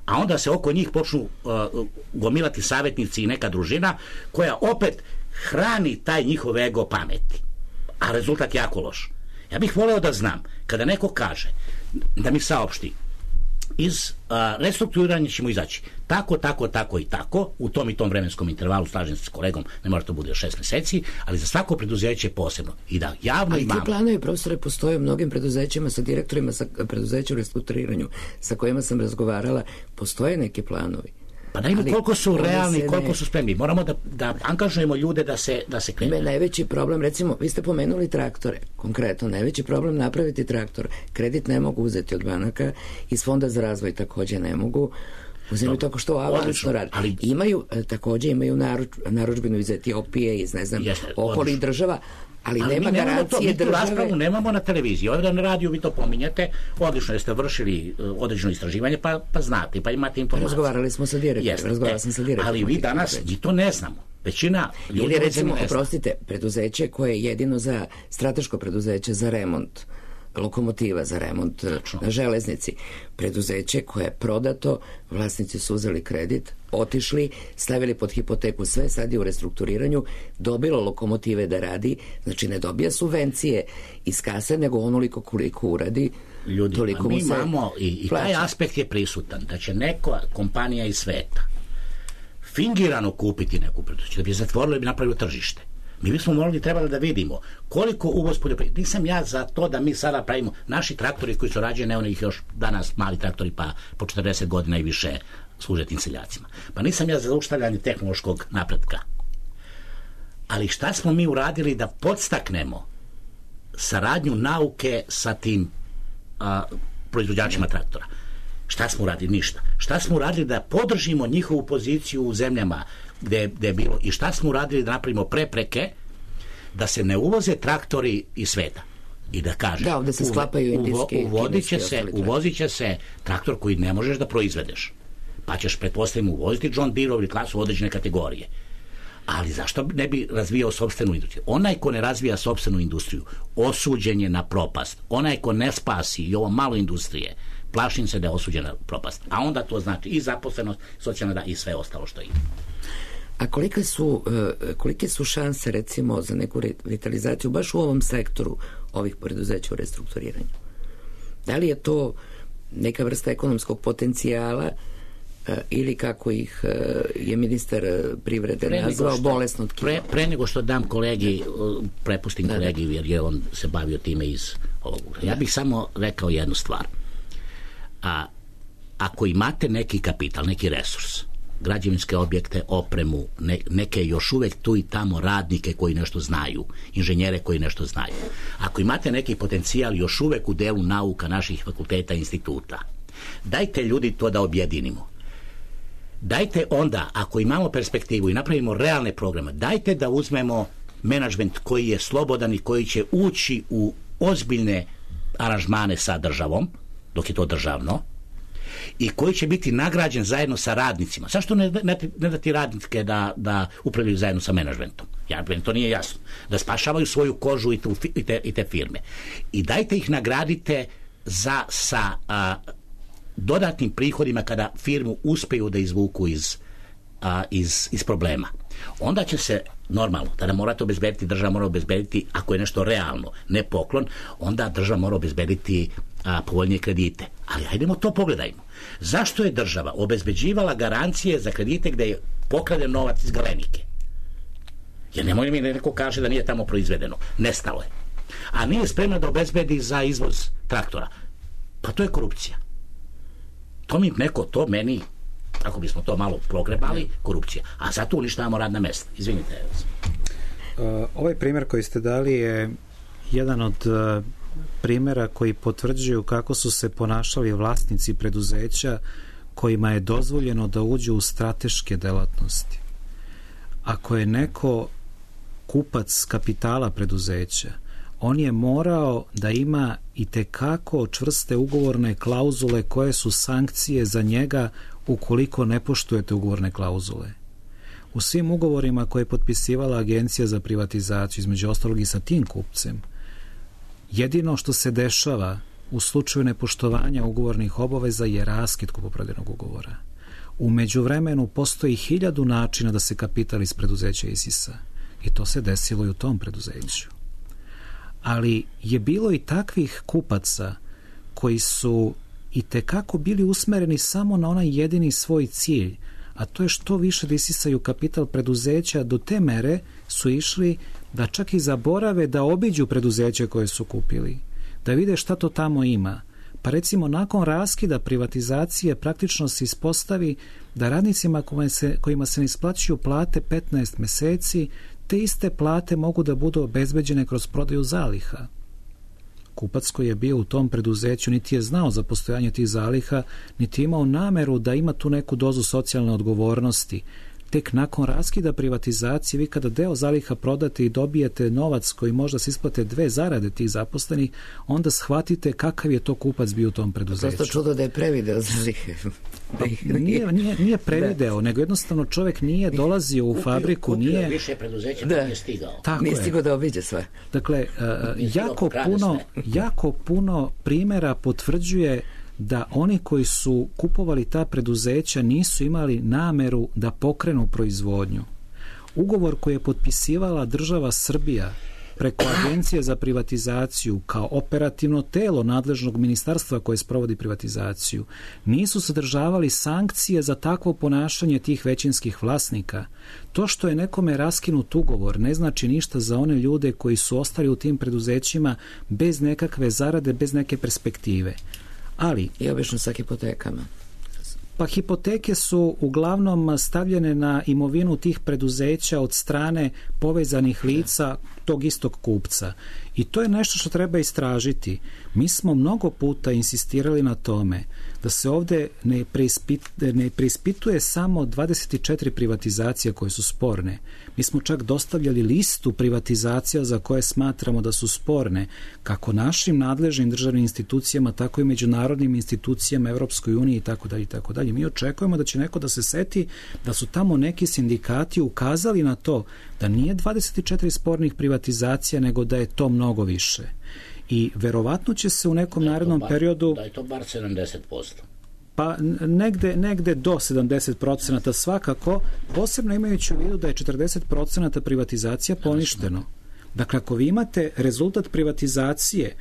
A onda se oko njih počnu uh, gomilati savjetnici i neka družina koja opet hrani taj njihov ego pameti. A rezultat jako loš. Ja bih voleo da znam, kada neko kaže da mi saopšti iz a, restrukturiranja ćemo izaći tako, tako, tako i tako u tom i tom vremenskom intervalu, slažem se s kolegom, ne mora to bude šest meseci, ali za svako preduzeće posebno i da javno ali imamo. Ali ti planovi, profesore, postoje u mnogim preduzećima sa direktorima sa preduzeća u restrukturiranju sa kojima sam razgovarala, postoje neki planovi. Pa da ima koliko su realni, koliko ne... su spremni. Moramo da, da angažujemo ljude da se, da se krenu. Najveći problem, recimo, vi ste pomenuli traktore, konkretno, najveći problem napraviti traktor. Kredit ne mogu uzeti od banaka, iz Fonda za razvoj takođe ne mogu. Uzimaju tako što avansno radi. Ali... Imaju, takođe imaju naruč, naručbinu iz Etiopije, iz, ne znam, jeste, okolnih država, ali, ali nema garancije to, mi države. Raspravu nemamo na televiziji. Ovdje na radiju vi to pominjete, odlično jeste vršili uh, određeno istraživanje, pa, pa znate, pa imate informacije. Razgovarali smo sa direktorom, razgovarala sam sa direktorom. Ali vi danas, mi to ne znamo. Većina ljudi... Ili recimo, oprostite, preduzeće koje je jedino za strateško preduzeće za remont lokomotiva, za remont Tačno. na železnici. Preduzeće koje je prodato, vlasnici su uzeli kredit, otišli, stavili pod hipoteku sve, sad je u restrukturiranju, dobilo lokomotive da radi, znači ne dobija subvencije iz kase, nego onoliko koliko uradi, ljudi, toliko mi mu se imamo i, i taj aspekt je prisutan, da će neka kompanija iz sveta fingirano kupiti neku preduzeće, da bi je zatvorilo i bi napravilo tržište. Mi bismo morali trebali da vidimo koliko uvoz poljoprivrede. Nisam ja za to da mi sada pravimo naši traktori koji su rađeni, ne onih još danas mali traktori pa po četrdeset godina i više služe tim seljacima. Pa nisam ja za zaustavljanje tehnološkog napretka. Ali šta smo mi uradili da podstaknemo saradnju nauke sa tim a, proizvođačima traktora? Šta smo uradili? Ništa. Šta smo uradili da podržimo njihovu poziciju u zemljama gde, gde je bilo i šta smo uradili da napravimo prepreke da se ne uvoze traktori iz sveta i da kaže da, da se sklapaju indijski, uvodit će se, uvozit će se traktor koji ne možeš da proizvedeš, pa ćeš pretpostavljamo uvoziti John Deere ili klasu određene kategorije. Ali zašto ne bi razvijao sopstvenu industriju? Onaj ko ne razvija sopstvenu industriju osuđen je na propast. Onaj ko ne spasi i ovo malo industrije, plašim se da je osuđen na propast. A onda to znači i zaposlenost, socijalna da i sve ostalo što ide. A kolike su, kolike su šanse recimo za neku revitalizaciju baš u ovom sektoru ovih preduzeća u restrukturiranju? Da li je to neka vrsta ekonomskog potencijala ili kako ih je ministar privrede pre nazvao što, bolesno tkivo? Pre, pre nego što dam kolegi, prepustim da, kolegi jer je on se bavio time iz ovog. Ja bih samo rekao jednu stvar. A, ako imate neki kapital, neki resurs, građevinske objekte, opremu, ne, neke još uvek tu i tamo radnike koji nešto znaju, inženjere koji nešto znaju. Ako imate neki potencijal još uvek u delu nauka naših fakulteta i instituta, dajte ljudi to da objedinimo. Dajte onda, ako imamo perspektivu i napravimo realne programe, dajte da uzmemo menadžment koji je slobodan i koji će ući u ozbiljne aranžmane sa državom, dok je to državno, i koji će biti nagrađen zajedno sa radnicima. Zašto ne, ne, ne dati radnike da, da upravljaju zajedno sa menadžmentom? Ja, to nije jasno. Da spašavaju svoju kožu i, tu, i, te, i te firme. I dajte ih nagradite za, sa a, dodatnim prihodima kada firmu uspeju da izvuku iz, a, iz, iz problema. Onda će se normalno, tada morate obezbediti, država mora obezbediti, ako je nešto realno, ne poklon, onda država mora obezbediti a, povoljnije kredite. Ali hajdemo to pogledajmo. Zašto je država obezbeđivala garancije za kredite gde je pokraden novac iz Galenike? Jer nemoj mi neko kaže da nije tamo proizvedeno. Nestalo je. A nije spremna da obezbedi za izvoz traktora. Pa to je korupcija. To mi neko, to meni, ako bismo to malo progrebali, korupcija. A zato uništavamo radna mesta. Izvinite. Uh, ovaj primjer koji ste dali je jedan od uh, primjera koji potvrđuju kako su se ponašali vlasnici preduzeća kojima je dozvoljeno da uđu u strateške delatnosti. Ako je neko kupac kapitala preduzeća, on je morao da ima i tekako čvrste ugovorne klauzule koje su sankcije za njega ukoliko ne poštujete ugovorne klauzule. U svim ugovorima koje je potpisivala Agencija za privatizaciju, između ostalog i sa tim kupcem, jedino što se dešava u slučaju nepoštovanja ugovornih obaveza je raskid kupoprodajnog ugovora. U međuvremenu postoji hiljadu načina da se kapital iz preduzeća isisa i to se desilo i u tom preduzeću. Ali je bilo i takvih kupaca koji su i tekako bili usmereni samo na onaj jedini svoj cilj, a to je što više da isisaju kapital preduzeća. Do te mere su išli da čak i zaborave da obiđu preduzeće koje su kupili, da vide šta to tamo ima. Pa recimo nakon raskida privatizacije praktično se ispostavi da radnicima kojima se, kojima se ne isplaćuju plate petnaest meseci, te iste plate mogu da budu obezbeđene kroz prodaju zaliha. Kupac koji je bio u tom preduzeću niti je znao za postojanje tih zaliha, niti imao nameru da ima tu neku dozu socijalne odgovornosti. Tek nakon raskida privatizacije, vi kada deo zaliha prodate i dobijete novac koji možda se isplate dve zarade tih zaposlenih, onda shvatite kakav je to kupac bio u tom preduzeću. Prosto čudo da je prevideo zalihe. Nije, nije, nije prevideo, da. Nego jednostavno čovjek nije dolazio u kupio, fabriku, kupio nije... više preduzeća, da. Nije stigao. Tako nije stigao da obiđe sve. Dakle, uh, jako, puno, jako puno primjera potvrđuje da oni koji su kupovali ta preduzeća nisu imali nameru da pokrenu proizvodnju. Ugovor koji je potpisivala država Srbija preko Agencije za privatizaciju kao operativno telo nadležnog ministarstva koje sprovodi privatizaciju nisu sadržavali sankcije za takvo ponašanje tih većinskih vlasnika. To što je nekome raskinut ugovor ne znači ništa za one ljude koji su ostali u tim preduzećima bez nekakve zarade, bez neke perspektive. Ali, i obično sa hipotekama. Pa hipoteke su uglavnom stavljene na imovinu tih preduzeća od strane povezanih lica tog istog kupca. I to je nešto što treba istražiti. Mi smo mnogo puta insistirali na tome da se ovdje ne, preispit, ne preispituje samo dvadeset četiri privatizacije koje su sporne. Mi smo čak dostavljali listu privatizacija za koje smatramo da su sporne, kako našim nadležnim državnim institucijama, tako i međunarodnim institucijama, Evropskoj uniji i tako dalje i tako dalje. Mi očekujemo da će neko da se seti da su tamo neki sindikati ukazali na to da nije dvadeset četiri spornih privatizacija, nego da je to mnogo više. I verovatno će se u nekom narednom bar, periodu... Da je to bar sedamdeset posto. Pa negde, negde do sedamdeset procenata svakako, posebno imajući u vidu da je četrdeset procenata privatizacija poništeno. Dakle, ako vi imate rezultat privatizacije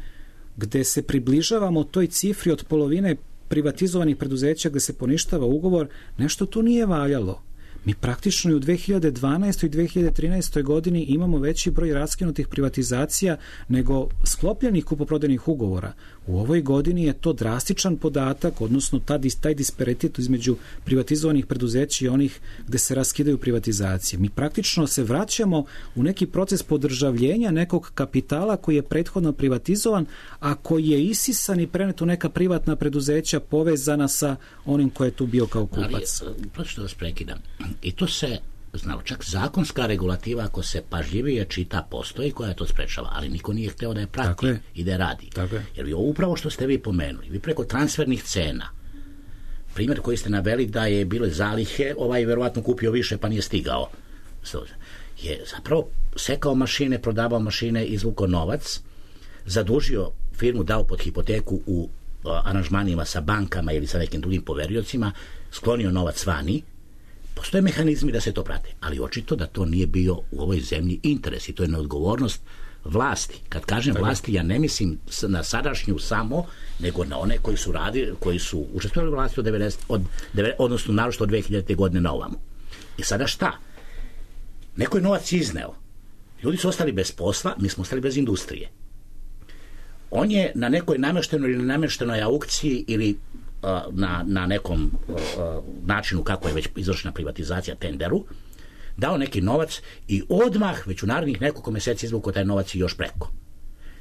gde se približavamo toj cifri od polovine privatizovanih preduzeća gde se poništava ugovor, nešto tu nije valjalo. Mi praktično i u dve hiljade dvanaestoj i dve hiljade trinaestoj godini imamo veći broj raskinutih privatizacija nego sklopljenih kupoprodajnih ugovora. U ovoj godini je to drastičan podatak, odnosno taj disparitet između privatizovanih preduzeća i onih gde se raskidaju privatizacije. Mi praktično se vraćamo u neki proces podržavljenja nekog kapitala koji je prethodno privatizovan, a koji je isisan i prenet u neka privatna preduzeća povezana sa onim ko je tu bio kao kupac. Ali, prosto da vas prekidam. I to se, znao, čak zakonska regulativa, ako se pažljivije čita, postoji koja to sprečava, ali niko nije hteo da je prati je. I da je radi. Je. Jer vi upravo što ste vi pomenuli, vi preko transfernih cena, primjer koji ste naveli da je bile zalihe, ovaj verovatno kupio više pa nije stigao, je zapravo sekao mašine, prodavao mašine, izvukao novac, zadužio firmu, dao pod hipoteku u aranžmanima sa bankama ili sa nekim drugim poveriocima, sklonio novac vani. Postoje mehanizmi da se to prate, ali očito da to nije bio u ovoj zemlji interes i to je neodgovornost vlasti. Kad kažem vlasti, ja ne mislim na sadašnju samo, nego na one koji su radili, koji su učestvovali u vlasti od devedeset, od, odnosno naročito od dve hiljadite. godine na ovamo. I sada šta? Neko je novac izneo. Ljudi su ostali bez posla, mi smo ostali bez industrije. On je na nekoj namještenoj ili namještenoj aukciji ili uh, na, na nekom uh, načinu kako je već izvršena privatizacija, tenderu, dao neki novac i odmah već u narednih nekoliko mjeseci izvukao taj novac i još preko.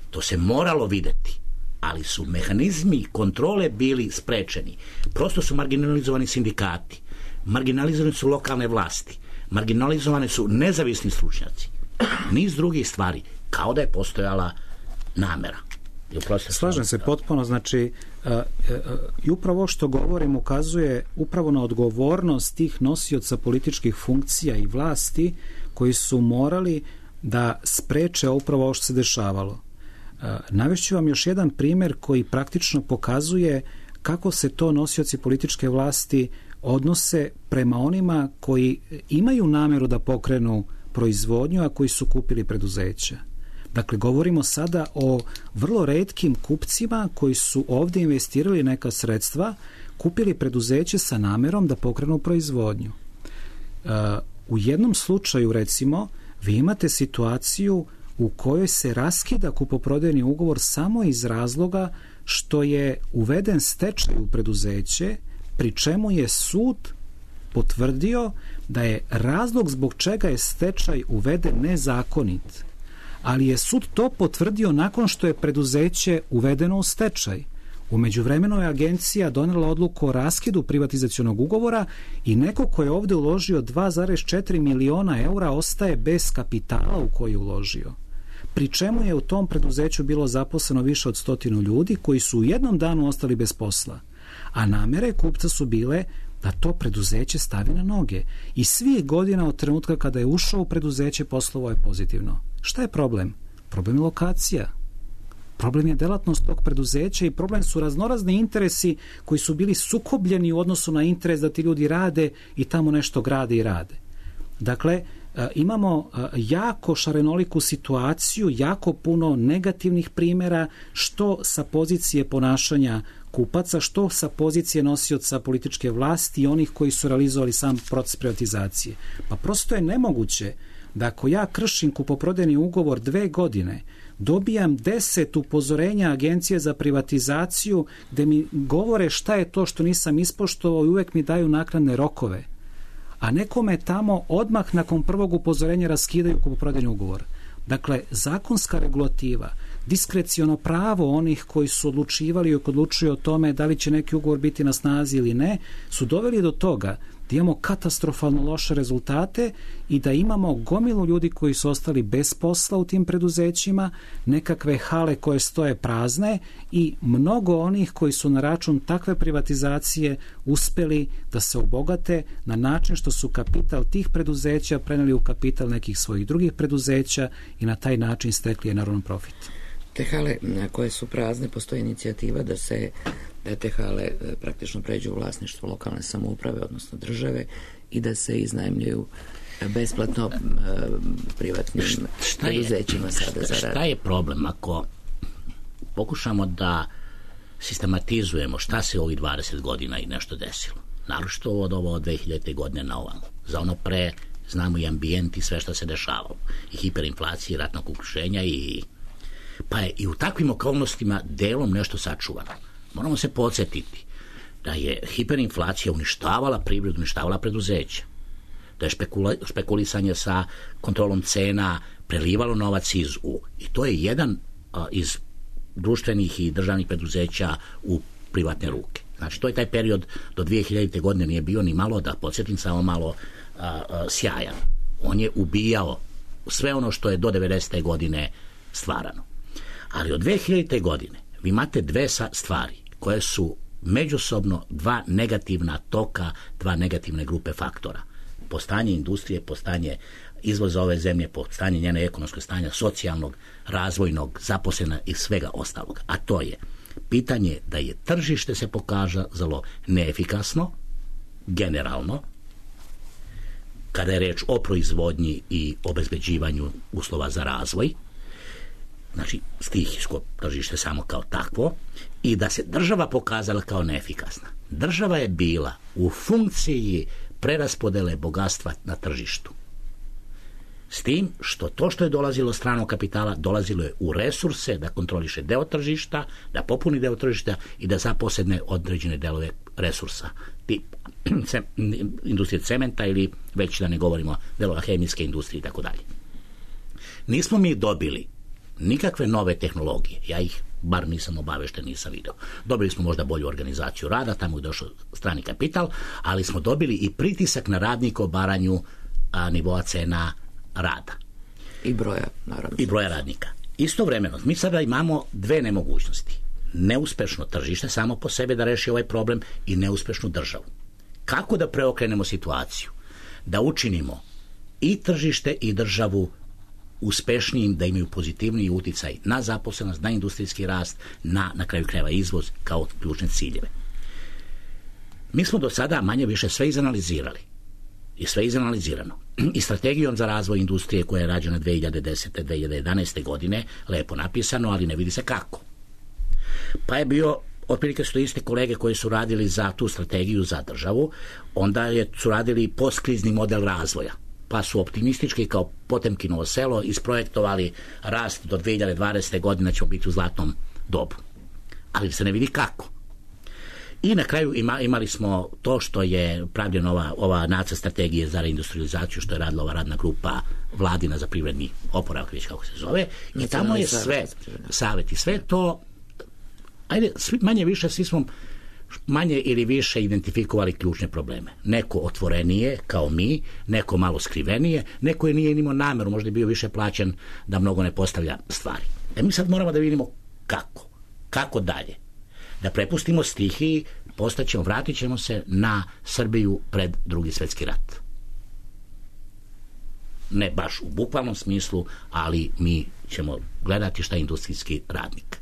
To se moralo vidjeti, ali su mehanizmi kontrole bili sprečeni. Prosto su marginalizovani sindikati, marginalizovane su lokalne vlasti, marginalizovane su nezavisni stručnjaci, niz drugih stvari, kao da je postojala namera. Slažem se potpuno, znači uh, uh, i upravo ovo što govorim ukazuje upravo na odgovornost tih nosioca političkih funkcija i vlasti koji su morali da spreče upravo ovo što se dešavalo. Uh, navešću vam još jedan primjer koji praktično pokazuje kako se to nosioci političke vlasti odnose prema onima koji imaju namjeru da pokrenu proizvodnju, a koji su kupili preduzeća. Dakle, govorimo sada o vrlo retkim kupcima koji su ovdje investirali neka sredstva, kupili preduzeće sa namjerom da pokrenu proizvodnju. Uh, u jednom slučaju, recimo, vi imate situaciju u kojoj se raskida kupoprodajni ugovor samo iz razloga što je uveden stečaj u preduzeće, pri čemu je sud potvrdio da je razlog zbog čega je stečaj uveden nezakonit. Ali je sud to potvrdio nakon što je preduzeće uvedeno u stečaj. U međuvremenu je agencija donela odluku o raskidu privatizacionog ugovora i neko ko je ovdje uložio dva zarez četiri miliona eura ostaje bez kapitala u koji je uložio. Pri čemu je u tom preduzeću bilo zaposleno više od stotinu ljudi koji su u jednom danu ostali bez posla. A namjere kupca su bile da to preduzeće stavi na noge. I svih godina od trenutka kada je ušao u preduzeće poslovao je pozitivno. Šta je problem? Problem je lokacija. Problem je delatnost tog preduzeća i problem su raznorazni interesi koji su bili sukobljeni u odnosu na interes da ti ljudi rade i tamo nešto grade i rade. Dakle, imamo jako šarenoliku situaciju, jako puno negativnih primjera, što sa pozicije ponašanja kupaca, što sa pozicije nosioca političke vlasti i onih koji su realizovali sam proces privatizacije. Pa prosto je nemoguće da ako ja kršim kupoprodajni ugovor dve godine, dobijam deset upozorenja Agencije za privatizaciju gde mi govore šta je to što nisam ispoštovao i uvek mi daju naknadne rokove. A nekome tamo odmah nakon prvog upozorenja raskidaju kupoprodajni ugovor. Dakle, zakonska regulativa, diskreciono pravo onih koji su odlučivali i odlučuju o tome da li će neki ugovor biti na snazi ili ne, su doveli do toga da imamo katastrofalno loše rezultate i da imamo gomilu ljudi koji su ostali bez posla u tim preduzećima, nekakve hale koje stoje prazne i mnogo onih koji su na račun takve privatizacije uspeli da se obogate na način što su kapital tih preduzeća preneli u kapital nekih svojih drugih preduzeća i na taj način stekli enorman profit. Te hale koje su prazne, postoji inicijativa da se da te hale praktično pređu u vlasništvo lokalne samouprave, odnosno države, i da se iznajmljuju besplatno privatnim preduzećima sada za rad. Šta je problem ako pokušamo da sistematizujemo šta se ovih dvadeset godina i nešto desilo? Naročito od ovo od dve hiljadite. godine na ovamo. Za ono pre znamo i ambijent i sve što se dešavalo. I hiperinflacije, i ratnog okruženja i pa je i u takvim okolnostima delom nešto sačuvano. Moramo se podsjetiti da je hiperinflacija uništavala privredu, uništavala preduzeća. Da je špekula, špekulisanje sa kontrolom cena prelivalo novac iz u. I to je jedan a, iz društvenih i državnih preduzeća u privatne ruke. Znači, to je taj period do dve hiljadite. godine nije bio ni malo, da podsjetim, samo malo a, a, sjajan. On je ubijao sve ono što je do devedesete. godine stvarano. Ali od dve hiljadite. godine vi imate dve stvari koje su međusobno dva negativna toka, dva negativne grupe faktora. Postanje industrije, postanje izvoza ove zemlje, postanje njene ekonomskog stanja, socijalnog, razvojnog, zaposlena i svega ostalog. A to je pitanje da je tržište se pokazalo neefikasno, generalno, kada je reč o proizvodnji i obezbeđivanju uslova za razvoj, znači stihijsko tržište samo kao takvo, i da se država pokazala kao neefikasna. Država je bila u funkciji preraspodele bogatstva na tržištu. S tim što to što je dolazilo stranog kapitala, dolazilo je u resurse da kontroliše deo tržišta, da popuni deo tržišta i da zaposedne određene delove resursa. Tip industrije cementa ili već da ne govorimo delova hemijske industrije i tako dalje. Nismo mi dobili nikakve nove tehnologije. Ja ih bar nisam obavešten, nisam video. Dobili smo možda bolju organizaciju rada, tamo je došao strani kapital, ali smo dobili i pritisak na radnika o baranju a, nivoa cena rada. I broja, naravno. I broja radnika. Istovremeno, mi sada imamo dve nemogućnosti. Neuspešno tržište samo po sebi da reši ovaj problem i neuspešnu državu. Kako da preokrenemo situaciju? Da učinimo i tržište i državu uspešnijim, da imaju pozitivniji uticaj na zaposlenost, na industrijski rast, na, na kraju krajeva izvoz kao ključne ciljeve. Mi smo do sada manje više sve izanalizirali. I sve izanalizirano. I strategijom za razvoj industrije koja je rađena dve hiljade desete. do dve hiljade jedanaeste. godine, lepo napisano, ali ne vidi se kako. Pa je bio, otprilike su iste kolege koji su radili za tu strategiju za državu, onda je, su radili postkrizni model razvoja. Pa su optimistički kao Potemkinovo selo isprojektovali rast do dve hiljade dvadesete. godine ćemo biti u zlatnom dobu. Ali se ne vidi kako. I na kraju ima, imali smo to što je pravljena ova, ova nacrt strategije za reindustrializaciju, što je radila ova radna grupa vladina za privredni oporavak, već kako se zove. I tamo je sve, savjet i sve to, ajde, svi, manje više, svi smo manje ili više identifikovali ključne probleme. Neko otvorenije, kao mi, neko malo skrivenije, neko je nije imao nameru, možda je bio više plaćen da mnogo ne postavlja stvari. E mi sad moramo da vidimo kako. Kako dalje. Da prepustimo stihiji, postaćemo, vratit ćemo se na Srbiju pred Drugi svjetski rat. Ne baš u bukvalnom smislu, ali mi ćemo gledati šta je industrijski radnik.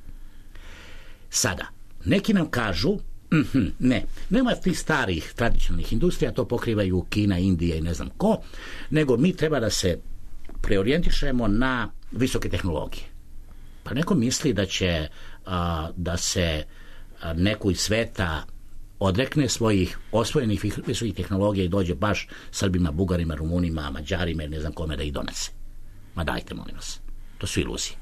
Sada, neki nam kažu, mm-hmm, ne, nema tih starih tradicionalnih industrija, to pokrivaju Kina, Indija i ne znam ko, nego mi treba da se preorijentišemo na visoke tehnologije. Pa neko misli da će a, da se a, neko iz sveta odrekne svojih osvojenih visokih tehnologija i dođe baš Srbima, Bugarima, Rumunima, Mađarima i ne znam kome da ih donese. Ma dajte, molim vas. To su iluzije.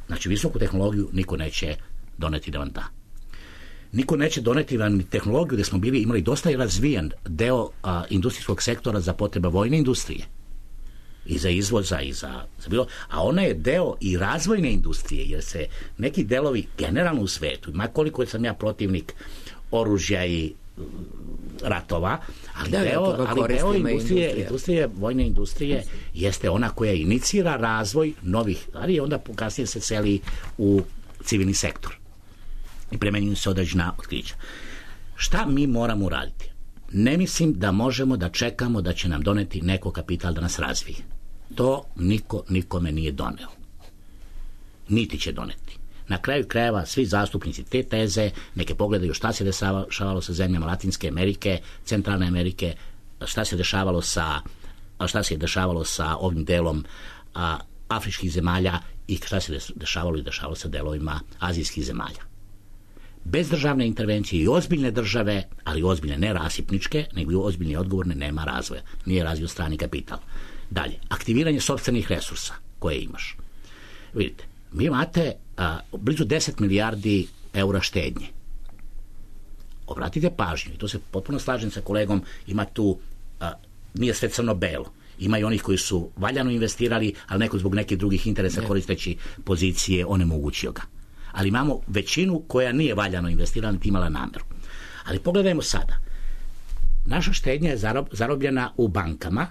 Znači, visoku tehnologiju niko neće doneti da vam da. Niko neće doneti vam tehnologiju gde smo bili imali dosta i razvijen deo a, industrijskog sektora za potrebe vojne industrije. I za izvoza, i za, za bilo, a ona je deo i razvojne industrije, jer se neki delovi generalno u svetu, ma koliko sam ja protivnik oružja i ratova, ali da, deo, ali deo industrije, industrije, vojne industrije jeste ona koja inicira razvoj novih, ali onda kasnije se seli u civilni sektor i premenjuju se određena otkrića. Šta mi moramo uraditi? Ne mislim da možemo da čekamo da će nam doneti neko kapital da nas razvije. To niko nikome nije doneo. Niti će doneti. Na kraju krajeva svi zastupnici te teze neke pogledaju šta se dešavalo sa zemljama Latinske Amerike, Centralne Amerike, šta se dešavalo sa šta se dešavalo sa ovim delom a, afričkih zemalja i šta se dešavalo i dešavalo sa delovima azijskih zemalja. Bez državne intervencije i ozbiljne države, ali ozbiljne ne rasipničke, nego i ozbiljne i odgovorne, nema razvoja. Nije razvio strani kapital. Dalje, aktiviranje sopstvenih resursa koje imaš. Vidite, vi imate a, blizu deset milijardi eura štednje. Obratite pažnju, i to se potpuno slažem sa kolegom, ima tu, a, nije sve crno-belo. Ima i onih koji su valjano investirali, ali neko zbog nekih drugih interesa koristeći pozicije onemogućio ga. Ali imamo većinu koja nije valjano investirala, niti imala nameru. Ali pogledajmo sada. Naša štednja je zarob, zarobljena u bankama.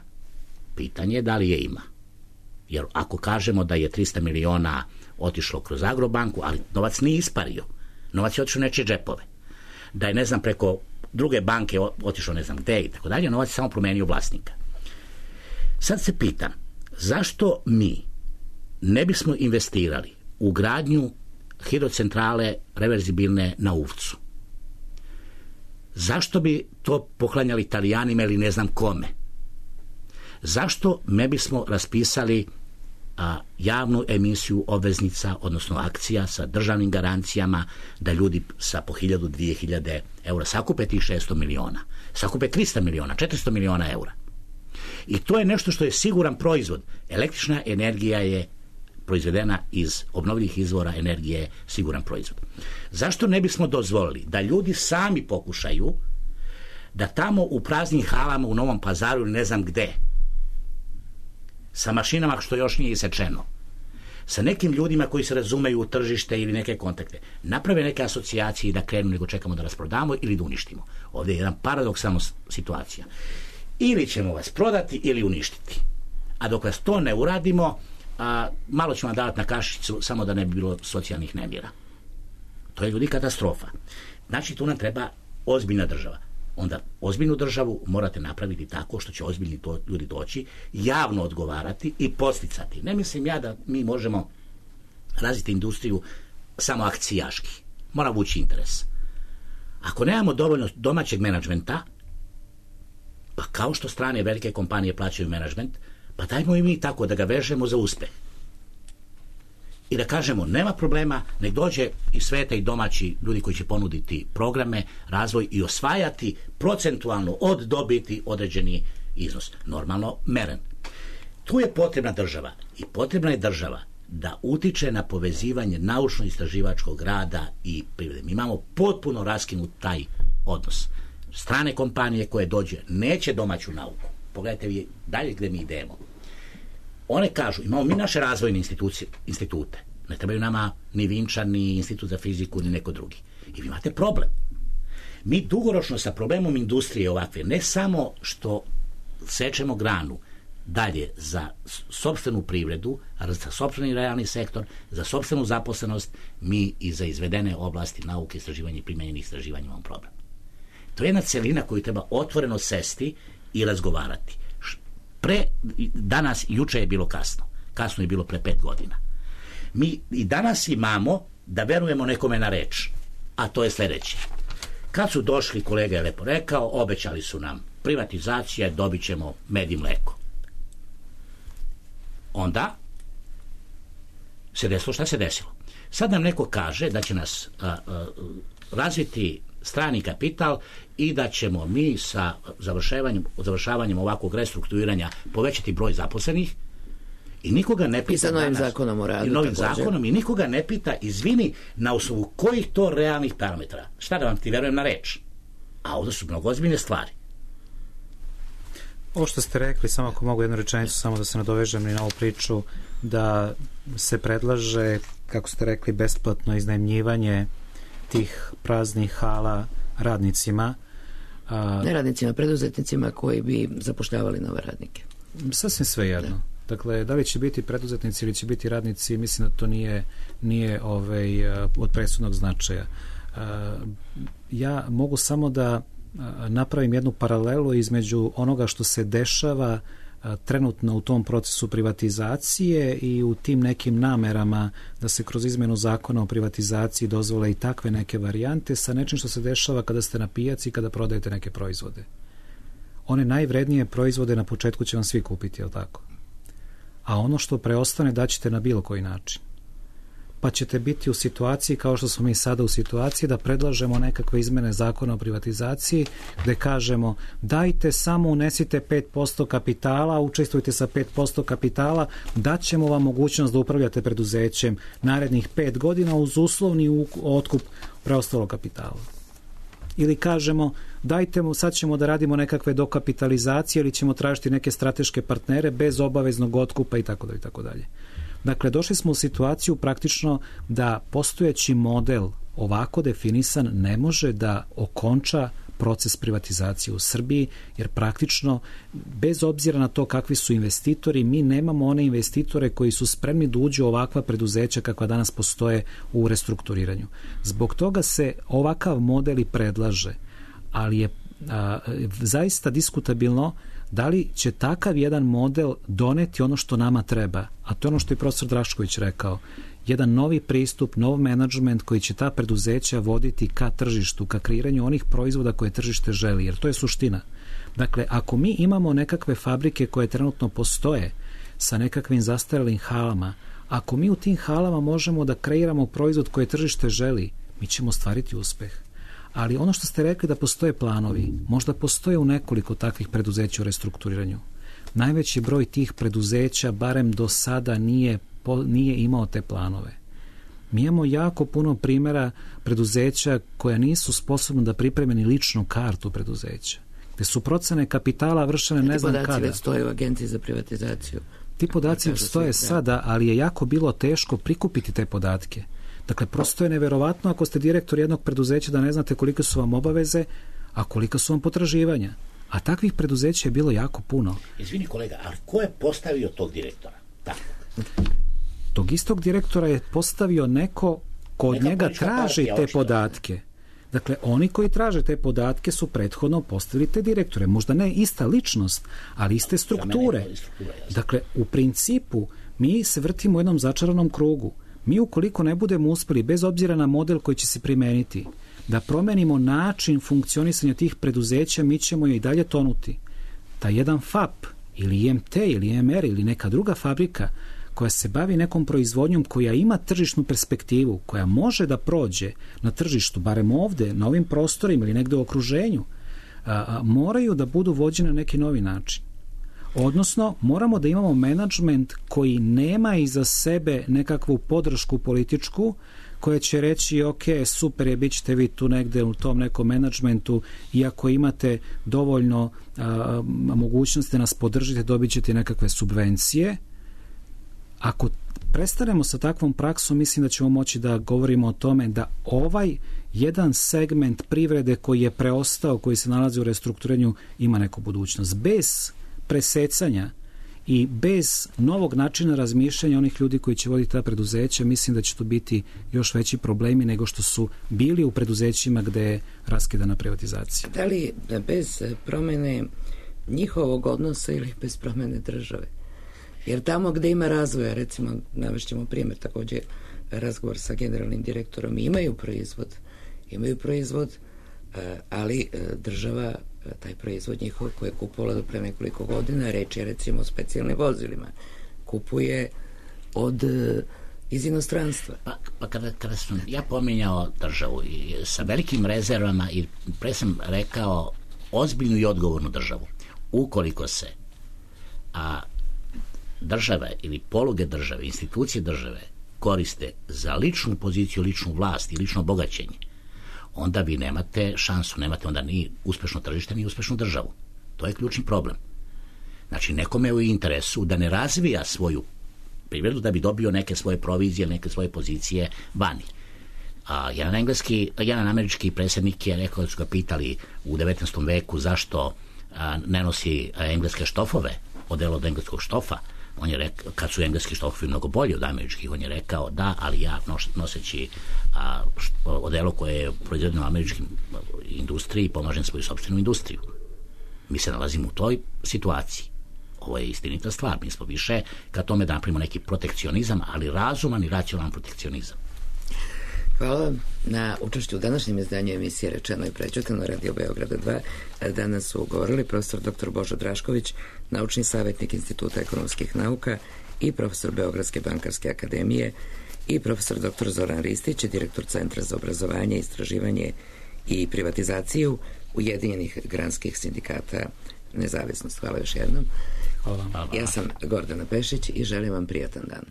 Pitanje je da li je ima. Jer ako kažemo da je trista miliona otišlo kroz Agrobanku, ali novac nije ispario. Novac je otišao u nečije džepove. Da je, ne znam, preko druge banke otišao ne znam gde i tako dalje, novac je samo promenio vlasnika. Sad se pitam, zašto mi ne bismo investirali u gradnju hidrocentrale reverzibilne na Uvcu? Zašto bi to poklanjali Italijanima ili ne znam kome? Zašto ne bismo raspisali a, javnu emisiju obveznica, odnosno akcija sa državnim garancijama, da ljudi sa po hiljadu, dvije hiljade eura sakupe tih šesto miliona, sakupe trista miliona, četiristo miliona eura. I to je nešto što je siguran proizvod. Električna energija je proizvedena iz obnovljivih izvora energije, siguran proizvod. Zašto ne bismo dozvolili da ljudi sami pokušaju da tamo u praznim halama u Novom Pazaru ili ne znam gde, sa mašinama što još nije isečeno, sa nekim ljudima koji se razumeju u tržište ili neke kontakte, naprave neke asocijacije i da krenu, nego čekamo da rasprodamo ili da uništimo. Ovdje je jedan paradoksalna situacija. Ili ćemo vas prodati ili uništiti. A dok vas to ne uradimo, a, malo ćemo davati na kašicu samo da ne bi bilo socijalnih nemira. To je ljudi katastrofa. Znači tu nam treba ozbiljna država. Onda ozbiljnu državu morate napraviti tako što će ozbiljni to, ljudi doći, javno odgovarati i posticati. Ne mislim ja da mi možemo razviti industriju samo akcijaški. Mora vući interes. Ako nemamo dovoljno domaćeg menadžmenta, pa kao što strane velike kompanije plaćaju menadžment, pa dajmo i mi tako da ga vežemo za uspeh. I da kažemo, nema problema, nek dođe iz sveta i domaći ljudi koji će ponuditi programe, razvoj i osvajati procentualno od dobiti određeni iznos. Normalno meren. Tu je potrebna država i potrebna je država da utiče na povezivanje naučno-istraživačkog rada i privrede. Mi imamo potpuno raskinut taj odnos. Strane kompanije koje dođe neće domaću nauku. Pogledajte vi dalje gde mi idemo. One kažu, imamo mi naše razvojne institute. Ne trebaju nama ni Vinčan, ni Institut za fiziku, ni neko drugi. I vi imate problem. Mi dugoročno sa problemom industrije ovakve, ne samo što sečemo granu dalje za sopstvenu privredu, za sopstveni realni sektor, za sopstvenu zaposlenost, mi i za izvedene oblasti nauke, istraživanja i primenjenih istraživanja imamo problem. To je jedna celina koju treba otvoreno sesti i razgovarati. Pre, danas, juče je bilo kasno. Kasno je bilo pre pet godina. Mi i danas imamo da verujemo nekome na reč, a to je sljedeće. Kad su došli, kolega je lepo rekao, obećali su nam privatizacija, dobit ćemo med i mleko. Onda se desilo šta se desilo. Sad nam neko kaže da će nas a, a, razviti strani kapital i da ćemo mi sa završavanjem, završavanjem ovakvog restrukturiranja povećati broj zaposlenih i nikoga ne pita i sa novim danas, zakonom o radu i novim zakonom i nikoga ne pita, izvini, na osnovu kojih to realnih parametara. Šta da vam ti verujem na reč? A ovdje su mnogo ozbiljne stvari. Ovo što ste rekli, samo ako mogu jednu rečenicu, samo da se nadovežem i na ovu priču, da se predlaže, kako ste rekli, besplatno iznajmljivanje tih praznih hala radnicima. A, ne radnicima, preduzetnicima koji bi zapošljavali nove radnike. Sasvim sve jedno. Da. Dakle, da li će biti preduzetnici ili će biti radnici, mislim da to nije, nije ovaj, od presudnog značaja. A, ja mogu samo da napravim jednu paralelu između onoga što se dešava trenutno u tom procesu privatizacije i u tim nekim namerama da se kroz izmenu zakona o privatizaciji dozvole i takve neke varijante sa nečim što se dešava kada ste na pijaci i kada prodajete neke proizvode. One najvrednije proizvode na početku će vam svi kupiti, je li tako? A ono što preostane daćete na bilo koji način. Pa ćete biti u situaciji kao što smo mi sada u situaciji da predlažemo nekakve izmene zakona o privatizaciji gde kažemo dajte samo unesite pet posto kapitala, učestvujte sa pet posto kapitala, daćemo vam mogućnost da upravljate preduzećem narednih pet godina uz uslovni otkup preostalog kapitala. Ili kažemo dajte mu, sad ćemo da radimo nekakve dokapitalizacije ili ćemo tražiti neke strateške partnere bez obaveznog otkupa i tako dalje i tako dalje. Dakle, došli smo u situaciju praktično da postojeći model ovako definisan ne može da okonča proces privatizacije u Srbiji, jer praktično, bez obzira na to kakvi su investitori, mi nemamo one investitore koji su spremni da uđu u ovakva preduzeća kakva danas postoje u restrukturiranju. Zbog toga se ovakav model i predlaže, ali je a, zaista diskutabilno da li će takav jedan model doneti ono što nama treba, a to je ono što je profesor Drašković rekao, jedan novi pristup, nov menadžment koji će ta preduzeća voditi ka tržištu, ka kreiranju onih proizvoda koje tržište želi, jer to je suština. Dakle, ako mi imamo nekakve fabrike koje trenutno postoje sa nekakvim zastarelim halama. Ako mi u tim halama možemo da kreiramo proizvod koje tržište želi, mi ćemo ostvariti uspeh. Ali ono što ste rekli da postoje planovi, možda postoje u nekoliko takvih preduzeća u restrukturiranju. Najveći broj tih preduzeća, barem do sada, nije, nije imao te planove. Mi imamo jako puno primjera preduzeća koja nisu sposobna da pripreme ni ličnu kartu preduzeća, gde su procene kapitala vršene ne znam kada. Ti podaci već stoje u Agenciji za privatizaciju. Ti podaci stoje sada, ali je jako bilo teško prikupiti te podatke. Dakle, prosto je neverovatno ako ste direktor jednog preduzeća da ne znate kolike su vam obaveze, a kolika su vam potraživanja. A takvih preduzeća je bilo jako puno. Izvini kolega, ali ko je postavio tog direktora? Tako. Tog istog direktora je postavio neko ko od njega traži te očito. podatke. Dakle, oni koji traže te podatke su prethodno postavili te direktore. Možda ne ista ličnost, ali iste strukture. Dakle, u principu mi se vrtimo u jednom začaranom krugu. Mi ukoliko ne budemo uspeli, bez obzira na model koji će se primeniti, da promenimo način funkcionisanja tih preduzeća, mi ćemo je i dalje tonuti. Ta jedan F A P ili I M T ili M R ili neka druga fabrika koja se bavi nekom proizvodnjom, koja ima tržišnu perspektivu, koja može da prođe na tržištu, barem ovde, na ovim prostorima ili negde u okruženju, a, a, moraju da budu vođene na neki novi način. Odnosno, moramo da imamo menadžment koji nema iza sebe nekakvu podršku političku, koja će reći, ok, super je, bit ćete vi tu negde u tom nekom menadžmentu i ako imate dovoljno a, mogućnosti da nas podržite, dobit ćete nekakve subvencije. Ako prestanemo sa takvom praksom, mislim da ćemo moći da govorimo o tome da ovaj jedan segment privrede koji je preostao, koji se nalazi u restrukturiranju, ima neku budućnost. Bez presecanja i bez novog načina razmišljanja onih ljudi koji će voditi ta preduzeća, mislim da će to biti još veći problemi nego što su bili u preduzećima gde je raskidana privatizacija. Da li bez promene njihovog odnosa ili bez promene države? Jer tamo gde ima razvoja, recimo, navešćemo primjer, također razgovor sa generalnim direktorom, imaju proizvod, imaju proizvod, ali država taj proizvod njihov koji je kupovala do pre nekoliko godina, reč je recimo o specijalnim vozilima, kupuje od iz inostranstva. Pa, pa kada, kada sam ja pominjao državu i sa velikim rezervama i pre sam rekao ozbiljnu i odgovornu državu, ukoliko se a države ili poluge države, institucije države koriste za ličnu poziciju, ličnu vlast i lično bogaćenje, onda vi nemate šansu, nemate onda ni uspešno tržište, ni uspešnu državu. To je ključni problem. Znači, nekome je u interesu da ne razvija svoju privredu da bi dobio neke svoje provizije, neke svoje pozicije vani. A, jedan engleski, jedan američki predsjednik je rekao da su ga pitali u devetnaestom veku zašto a, ne nosi a, engleske štofove, odelo od engleskog štofa. On je rekao, kad su engleski štofovi mnogo bolji od američkih, on je rekao da, ali ja noseći a, odelo koje je proizvedeno u američkim industriji pomažem svoju sopstvenu industriju. Mi se nalazimo u toj situaciji. Ovo je istinita stvar. Mi smo više ka tome da napravimo neki protekcionizam, ali razuman i racionalan protekcionizam. Hvala na učešću u današnjem izdanju emisije Rečeno i prećutano Radio Beograda dva. Danas su govorili profesor doktor Božo Drašković, naučni savjetnik Instituta ekonomskih nauka i profesor Beogradske bankarske akademije, i profesor doktor Zoran Ristić, direktor Centra za obrazovanje, istraživanje i privatizaciju Ujedinjenih granskih sindikata Nezavisnost. Hvala još jednom. Hvala vam. Ja sam Gordana Pešić i želim vam prijatan dan.